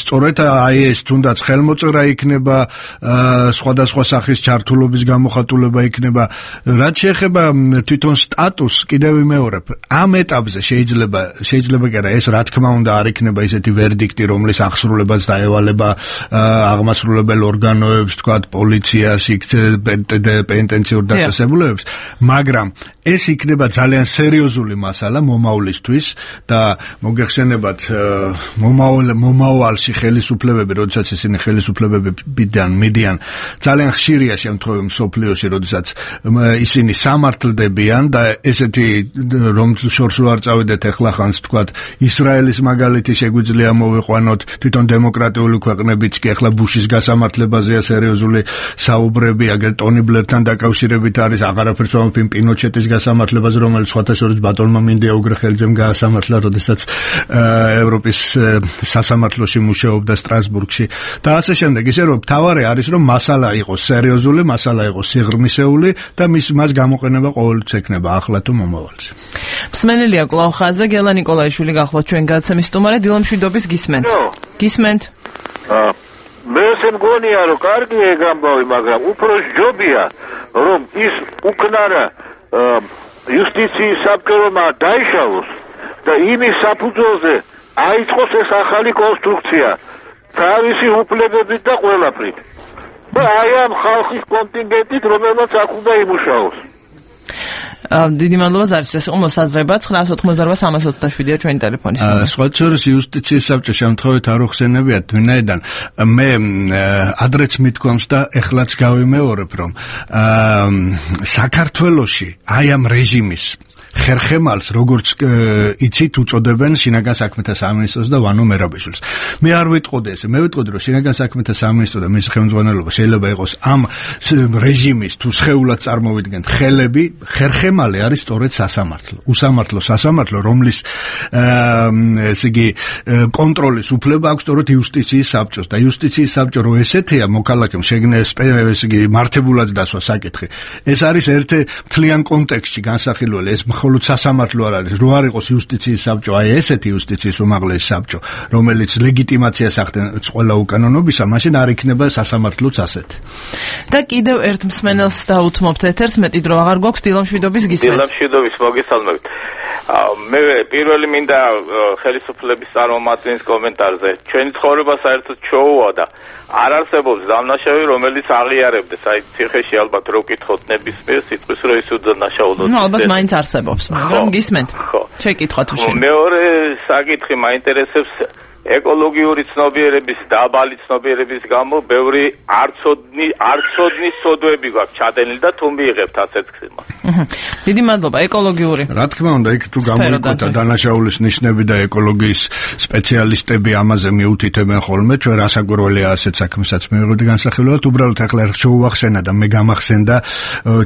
სწორედ აი ეს თუნდაც ხელმოწერა იქნება სხვადასხვა სახის ჩართულობის გამოხატულება იქნება რაც შეეხება თვითონ სტატუსს კიდევ ვიმეორებ ამ ეტაპზე შეიძლება შეიძლება კი არა ეს რა თქმა უნდა არ იქნება ისეთი ვერდიქტი რომლის აღსრულებაც დაევალება აღმასრულებელ ორგანოებს თქვათ პოლიციას პენტენციურ დაწესებულებებს მაგრამ ეს იქნება ძალიან სერიოზული მასალა მომავლისთვის და მოგეხსენებათ მომავალ მომავალში ხელისუფლებები როდესაც ისინი ხელისუფლებებიდან მიდიან ძალიან ხშირია შემთხვევები მსოფლიოში, როდესაც ისინი სამართლდებიან და ესეთი რომ შორს არ წავიდეთ ახლა ხანს თქვათ ისრაელის მაგალითი შეგვიძლია მოვიყვანოთ თვითონ დემოკრატიული ქვეყნებიც კი ახლა ბუშის გასამართლებაზეა სერიოზული საუბრები, აგერ ტონი ბლერთან დაკავშირებით არის აღარაფერს ვამბობ პინოჩეტის გასამართლებაზე, რომელიც სხვათა შორის ბატონმა მინდია უგრეხელიძემ გაასამართლა, როდესაც ევროპის სასამართლოში მუშაობდა სტრასბურგში და ასე შემდეგ. ისე რომ თავარი არის რომ მასალა იყოს სერიოზული, მასალა იყოს სიღრმისეული და მის მას გამოყენება ყოველთვის ექნება ახლა თუ მომავალში. მსმენელია კვლავ ხაზზე გელა ნიკოლაიშვილი გახლავთ ჩვენ გადაცემის სტუმარი დილამშვიდობის გისმენთ. გისმენთ. აა მე ესე მგონია რომ კარგია ეგ ამბავი, მაგრამ უფრო ჯობია რომ ის უკნარა იუსტიციის საბჭომა დაიშალოს და იმის საფუძველზე აიწყოს ეს ახალი კონსტრუქცია თავისი უფლებებით და ყველაფრით. და აი ამ ხალხის კონტინგენტით, რომელსაც აქ უნდა იმუშაოს. დიდი მადლობა ზარისთვის. ეს იყო მოსაზრება ცხრაას ოცდაოთხმოცდაორბა სამას ოცდაშვიდია ჩვენი ტელეფონის ნომერი. სხვა შორის იუსტიციის საბჭო შემთხვევით არ უხსენებიათ ვინაიდან მე ადრეც მithქვამს და ეხლაც გავიმეორებ რომ საქართველოში აი ამ რეჟიმის ხერხემალს როგორც იცით უწოდებენ შინაგან საქმეთა სამინისტროს და ვანო მერაბიშვილს. მე არ ვიტყოდი ესე, მე ვიტყოდი რომ შინაგან საქმეთა სამინისტრო და მის ხელმძღვანელობა შეიძლება იყოს ამ რეჟიმის თუ სხეულად წარმოვიდგენთ ხელები, ხერხემალი არის სწორედ სასამართლო. უსამართლო სასამართლო, რომლის ესე იგი კონტროლის უფლება აქვს სწორედ იუსტიციის საბჭოს და იუსტიციის საბჭო რო ესეთია მოქალაქემ შეგნეს ესე იგი მართებულად დასვა საკითხი. ეს არის ერთ მთლიან კონტექსტში განსახილველი ეს მხოლოდ სასამართლო არ არის, რო არ იყოს იუსტიციის საბჭო, აი ესეთი იუსტიციის უმაღლესი საბჭო, რომელიც ლეგიტიმაციას ახდენს ყველა უკანონობისა, მაშინ არ იქნება სასამართლოც ასეთი. და კიდევ ერთ მსმენელს დაუთმობთ ეთერს, მეტი დრო აღარ გვაქვს, დილამშვიდობის გისმენთ. დილამშვიდობის მოგესალმებით. მე პირველი მინდა ხელისუფლების წარმომადგენლის კომენტარზე. ჩვენი ცხოვრება საერთოდ ჩოუა და არ არსებობს დამნაშავე, რომელიც აღიარებდეს. აი ციხეში ალბათ რო კითხოთ ნებისმიერ სიტყვის რო ის უდანაშაულოდ. ნუ ალბათ მაინც არსებობს, მაგრამ გისმენთ. შეკითხოთ უშენ. მეორე საკითხი მაინტერესებს ეკოლოგიური ცნობიერების დაბალი ცნობიერების გამო ბევრი არცოდნი არცოდნის სოდვები გვაქვს ჩადენილი და თუ მიიღებთ ასეთ ხმას. დიდი მადლობა. ეკოლოგიური. რა თქმა უნდა, იქ თუ გამოიკვეთა დანაშაულის ნიშნები და ეკოლოგიის სპეციალისტები ამაზე მიუთითებენ ხოლმე, ჩვენ რასაკვირველია ასეთ საქმესაც მივიღებდი განსახილველად, უბრალოდ ახლა შეუახსენა და მე გამახსენდა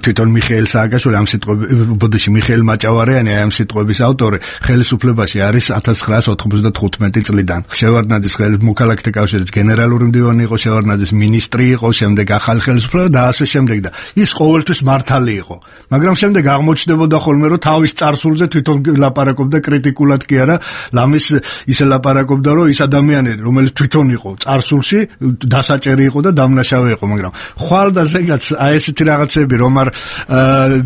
თვითონ მიხეილ სააკაშვილი ამ სიტყვების ბოდიში მიხეილ მაჭავარიანი ამ სიტყვების ავტორი ხელისუფლებაში არის ათას ცხრაას ოთხმოცდათხუთმეტი წლიდან. შევარდნაძის მოქალაქეთა კავშირის გენერალური მდივანი იყო, შევარდნაძის მინისტრი იყო, შემდეგ ახალი ხელისუფლება და ასე შემდეგ და ის ყოველთვის მართალი იყო. მაგრამ შემდეგ აღმოჩნდებოდა ხოლმე რომ თავის წარსულზე თვითონ ლაპარაკობდა კრიტიკულად კი არა, ლამის ისე ლაპარაკობდა რომ ის ადამიანები რომელიც თვითონ იყო წარსულში დასაჭერი იყო და დამნაშავე იყო, მაგრამ ხვალ და ზეგაც აი ესეთი რაღაცები რომ არ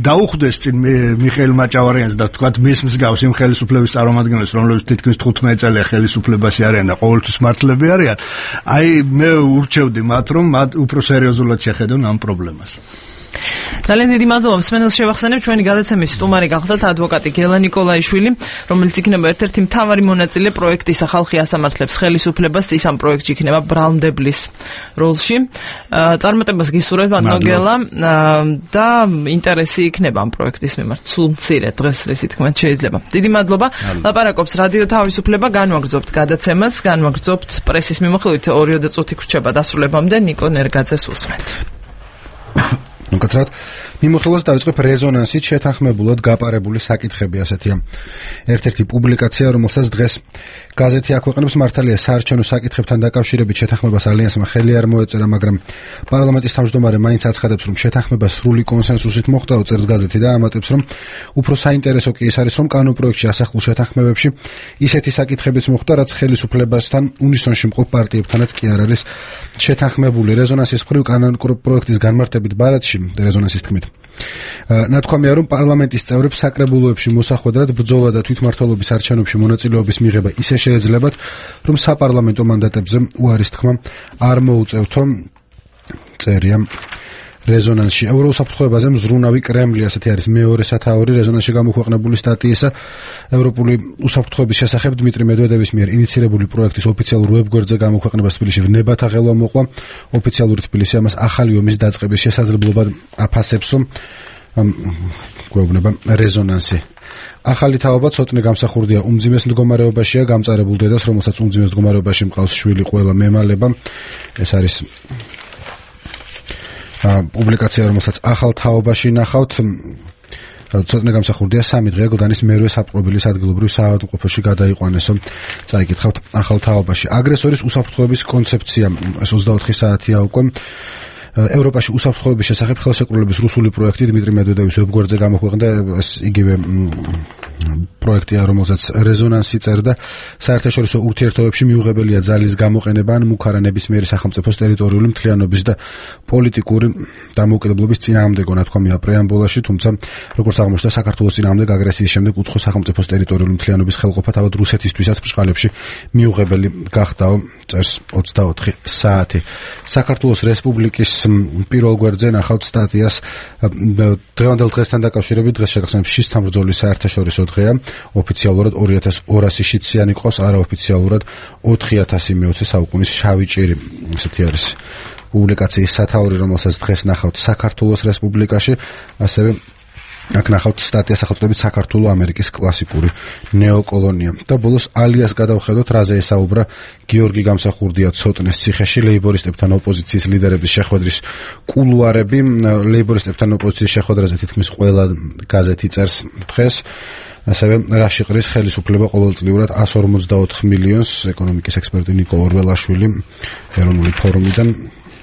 დაუხვდეს წინ მიხეილ მაჭავარიანს და თქვათ მის მსგავს იმ ხელისუფლების წარმომადგენლებს რომლებიც თითქმის თხუთმეტი წელია ხელისუფლებაში არიან და ყოველთვის მართლები არიან, აი მე ურჩევდი მათ რომ მათ უფრო სერიოზულად შეხედონ ამ პრობლემას. ძალიან დიდი მადლობა. მსმენელს შევახსენებ, ჩვენი გადაცემის სტუმარი გახლდათ ადვოკატი გელა ნიკოლაიშვილი, რომელიც იქნება ერთ-ერთი მთავარი მონაწილე პროექტის ხალხი ასამართლებს ხელისუფლებას, ის ამ პროექტში იქნება ბრალმდებლის როლში. წარმატებას გისურვებ ბატონო გელა და ინტერესი იქნება ამ პროექტის მიმართ. სულ მცირე დღეს ისე თქმით შეიძლება. დიდი მადლობა. ლაპარაკობს რადიო თავისუფლება, განვაგრძობთ გადაცემას, განვაგრძობთ პრესის მიმოხილვით ორი წუთი გრჩება დასრულებამდე. ნიკო ნერგაძეს უსმენთ. უკაცრად მიმოხილვას დავიწყებ რეზონანსით შეთანხმებულად გაპარებული საკითხები ასეთია. ერთ-ერთი პუბლიკაცია, რომელსაც დღეს გაზეთი აქვეყნებს, მართალია საარჩევნო საკითხებთან დაკავშირებით შეთანხმებას ალიანსმა ხელი არ მოეწერა, მაგრამ პარლამენტის თავმჯდომარე მაინც აცხადებს, რომ შეთანხმება სრული კონსენსუსით მოხდა, წერს გაზეთი და ამატებს, რომ უფრო საინტერესო კი ის არის, რომ კანონპროექტში ასახულ შეთანხმებებში ისეთი საკითხებიც მოხდა, რაც ხელისუფლებასთან უნისონში მყოფ პარტიებთანაც კი არ არის შეთანხმებული. რეზონანსის მხრივ კანონპროექტის განმარტებით ბარათში რეზონანსის თქმით ნათქვამია, რომ პარლამენტის წევრებს საკრებულოებში მოსახვედრად ბრძოლა და თვითმმართველობის არჩევნებში მონაწილეობის მიღება ისე შეეძლებათ, რომ საპარლამენტო მანდატებზე უარის თქმა არ მოუწევთო. წერია რეზონანსში. ევროუსაფრთხოებაზე მზრუნავი კრემლი, ასეთი არის მეორე სათაური რეზონანსში გამოქვეყნებული სტატიისა. ევროპული უსაფრთხოების შესახებ დმიტრი მედვედევის მიერ ინიცირებული პროექტის ოფიციალურ ვებგვერდზე გამოქვეყნებას თბილისში ვნებათა ღელვა მოყვა. ოფიციალური თბილისი ამას ახალი ომის დაწყების შესაძლებლობად აფასებს. გვეუბნება რეზონანსი. ახალი თაობა ცოტნე გამსახურდია უმძიმეს მდგომარეობაშია, გამწარებულ დედას, რომელსაც უმძიმეს მდგომარეობაში მყავს შვილი ყველა მემალება. ეს არის პუბლიკაცია, რომელსაც ახალ თაობაში ნახავთ. ცოტნე გამსახურდია სამი დღე გლდანის მერვე საპყრობილის ადგილობრივ საავადმყოფოში გადაიყვანესო. წაიკითხავთ ახალ თაობაში. აგრესორის უსაფრთხოების კონცეფცია, ეს ოცდაოთხი საათია უკვე. ევროპაში უსაფრთხოების შესახებ ხელშეკრულების რუსული პროექტი დმიტრი მედვედევის ვებგვერდზე გამოქვეყნდა. ეს იგივე პროექტია, რომელსაც რეზონანსი წერდა. საერთაშორისო ურთიერთობებში მიუღებელია ძალის გამოყენება ან მუქარა ნებისმიერი სახელმწიფოს ტერიტორიული მთლიანობის და პოლიტიკური დამოუკიდებლობის წინააღმდეგო ნათქვამია პრეამბულაში, თუმცა როგორც აღმოჩნდა, საქართველოს წინააღმდეგ აგრესიის შემდეგ უცხო სახელმწიფოს ტერიტორიული მთლიანობის ხელყოფა თავად რუსეთისთვისაც ბრწყალებში მიუღებელი გახდაო, წერს ოცდაოთხი საათი. საქართველოს რესპუბლიკის პირველ გვერდზე ნახავთ სტატიას დღევანდელ დღესთან დაკავშირებით. დღეს შეგახსენებთ შისთან ბრძოლის საერთაშორისო დღეა. ოფიციალურად ორი ათას ორასი შიდსიანი ყავს, არაოფიციალურად ოთხი ათასი მეოცე საუკუნის შავი ჭირი. ესეთი არის პუბლიკაციის სათაური, რომელსაც დღეს ნახავთ საქართველოს რესპუბლიკაში, ასევე აქ ნახავთ სტატია სახელწოდებით საქართველო ამერიკის კლასიკური ნეოკოლონია. და ბოლოს ალიას გადავხედოთ, რაზე ესაუბრა გიორგი გამსახურდია ცოტნეს ციხეში ლეიბორისტებთან ოპოზიციის ლიდერების შეხვედრის კულუარები. ლეიბორისტებთან ოპოზიციის შეხვედრაზე თითქმის ყველა გაზეთი წერს დღეს. ასევე რაში ყრის ხელისუფლება ყოველწლიურად εκατს ორმოცდაოთხ მილიონს. ეკონომიკის ექსპერტი ნიკო ორველაშვილი ეროვნული ფორუმიდან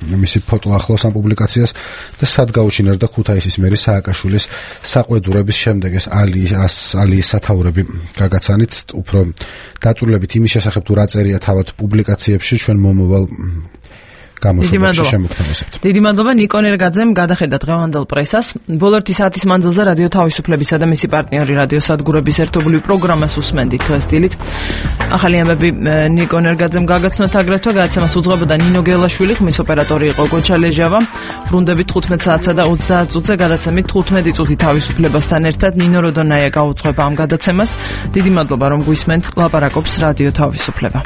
მისი ფოტო ახლავს ამ პუბლიკაციას და სად გაუჩინარდა ქუთაისის მერი სააკაშვილის საყვედურების შემდეგ ეს ალიის ალიის სათაურები გაგაცანით. უფრო დაწვრილებით იმის შესახებ თუ რა წერია თავად პუბლიკაციებში ჩვენ მომავალ გამოშვებაში შემოგთავაზებთ. დიდი მადლობა ნიკო ნერგაძემ, გადახედა დღევანდელ პრესას. ბოლო ერთი საათის მანძილზე რადიო თავისუფლებისა და მისი პარტნიორი რადიო სადგურების ერთობლივ პროგრამას უსმენდით დღეს დილით. ახალი ამბები ნიკო ნერგაძემ გაგაცნოთ აგრეთვე, გადაცემას უძღვებოდა ნინო გელაშვილი, ხმის ოპერატორი იყო გოჩა ლეჟავა. ბრუნდებით თხუთმეტ საათსა და ოცდაათ წუთზე, გადაცემით თხუთმეტი წუთი თავისუფლებასთან ერთად ნინო როდონაია გაუძღვება ამ გადაცემას. დიდი მადლობა რომ გვისმენთ, ლაპარაკობს რადიო თავისუფლება.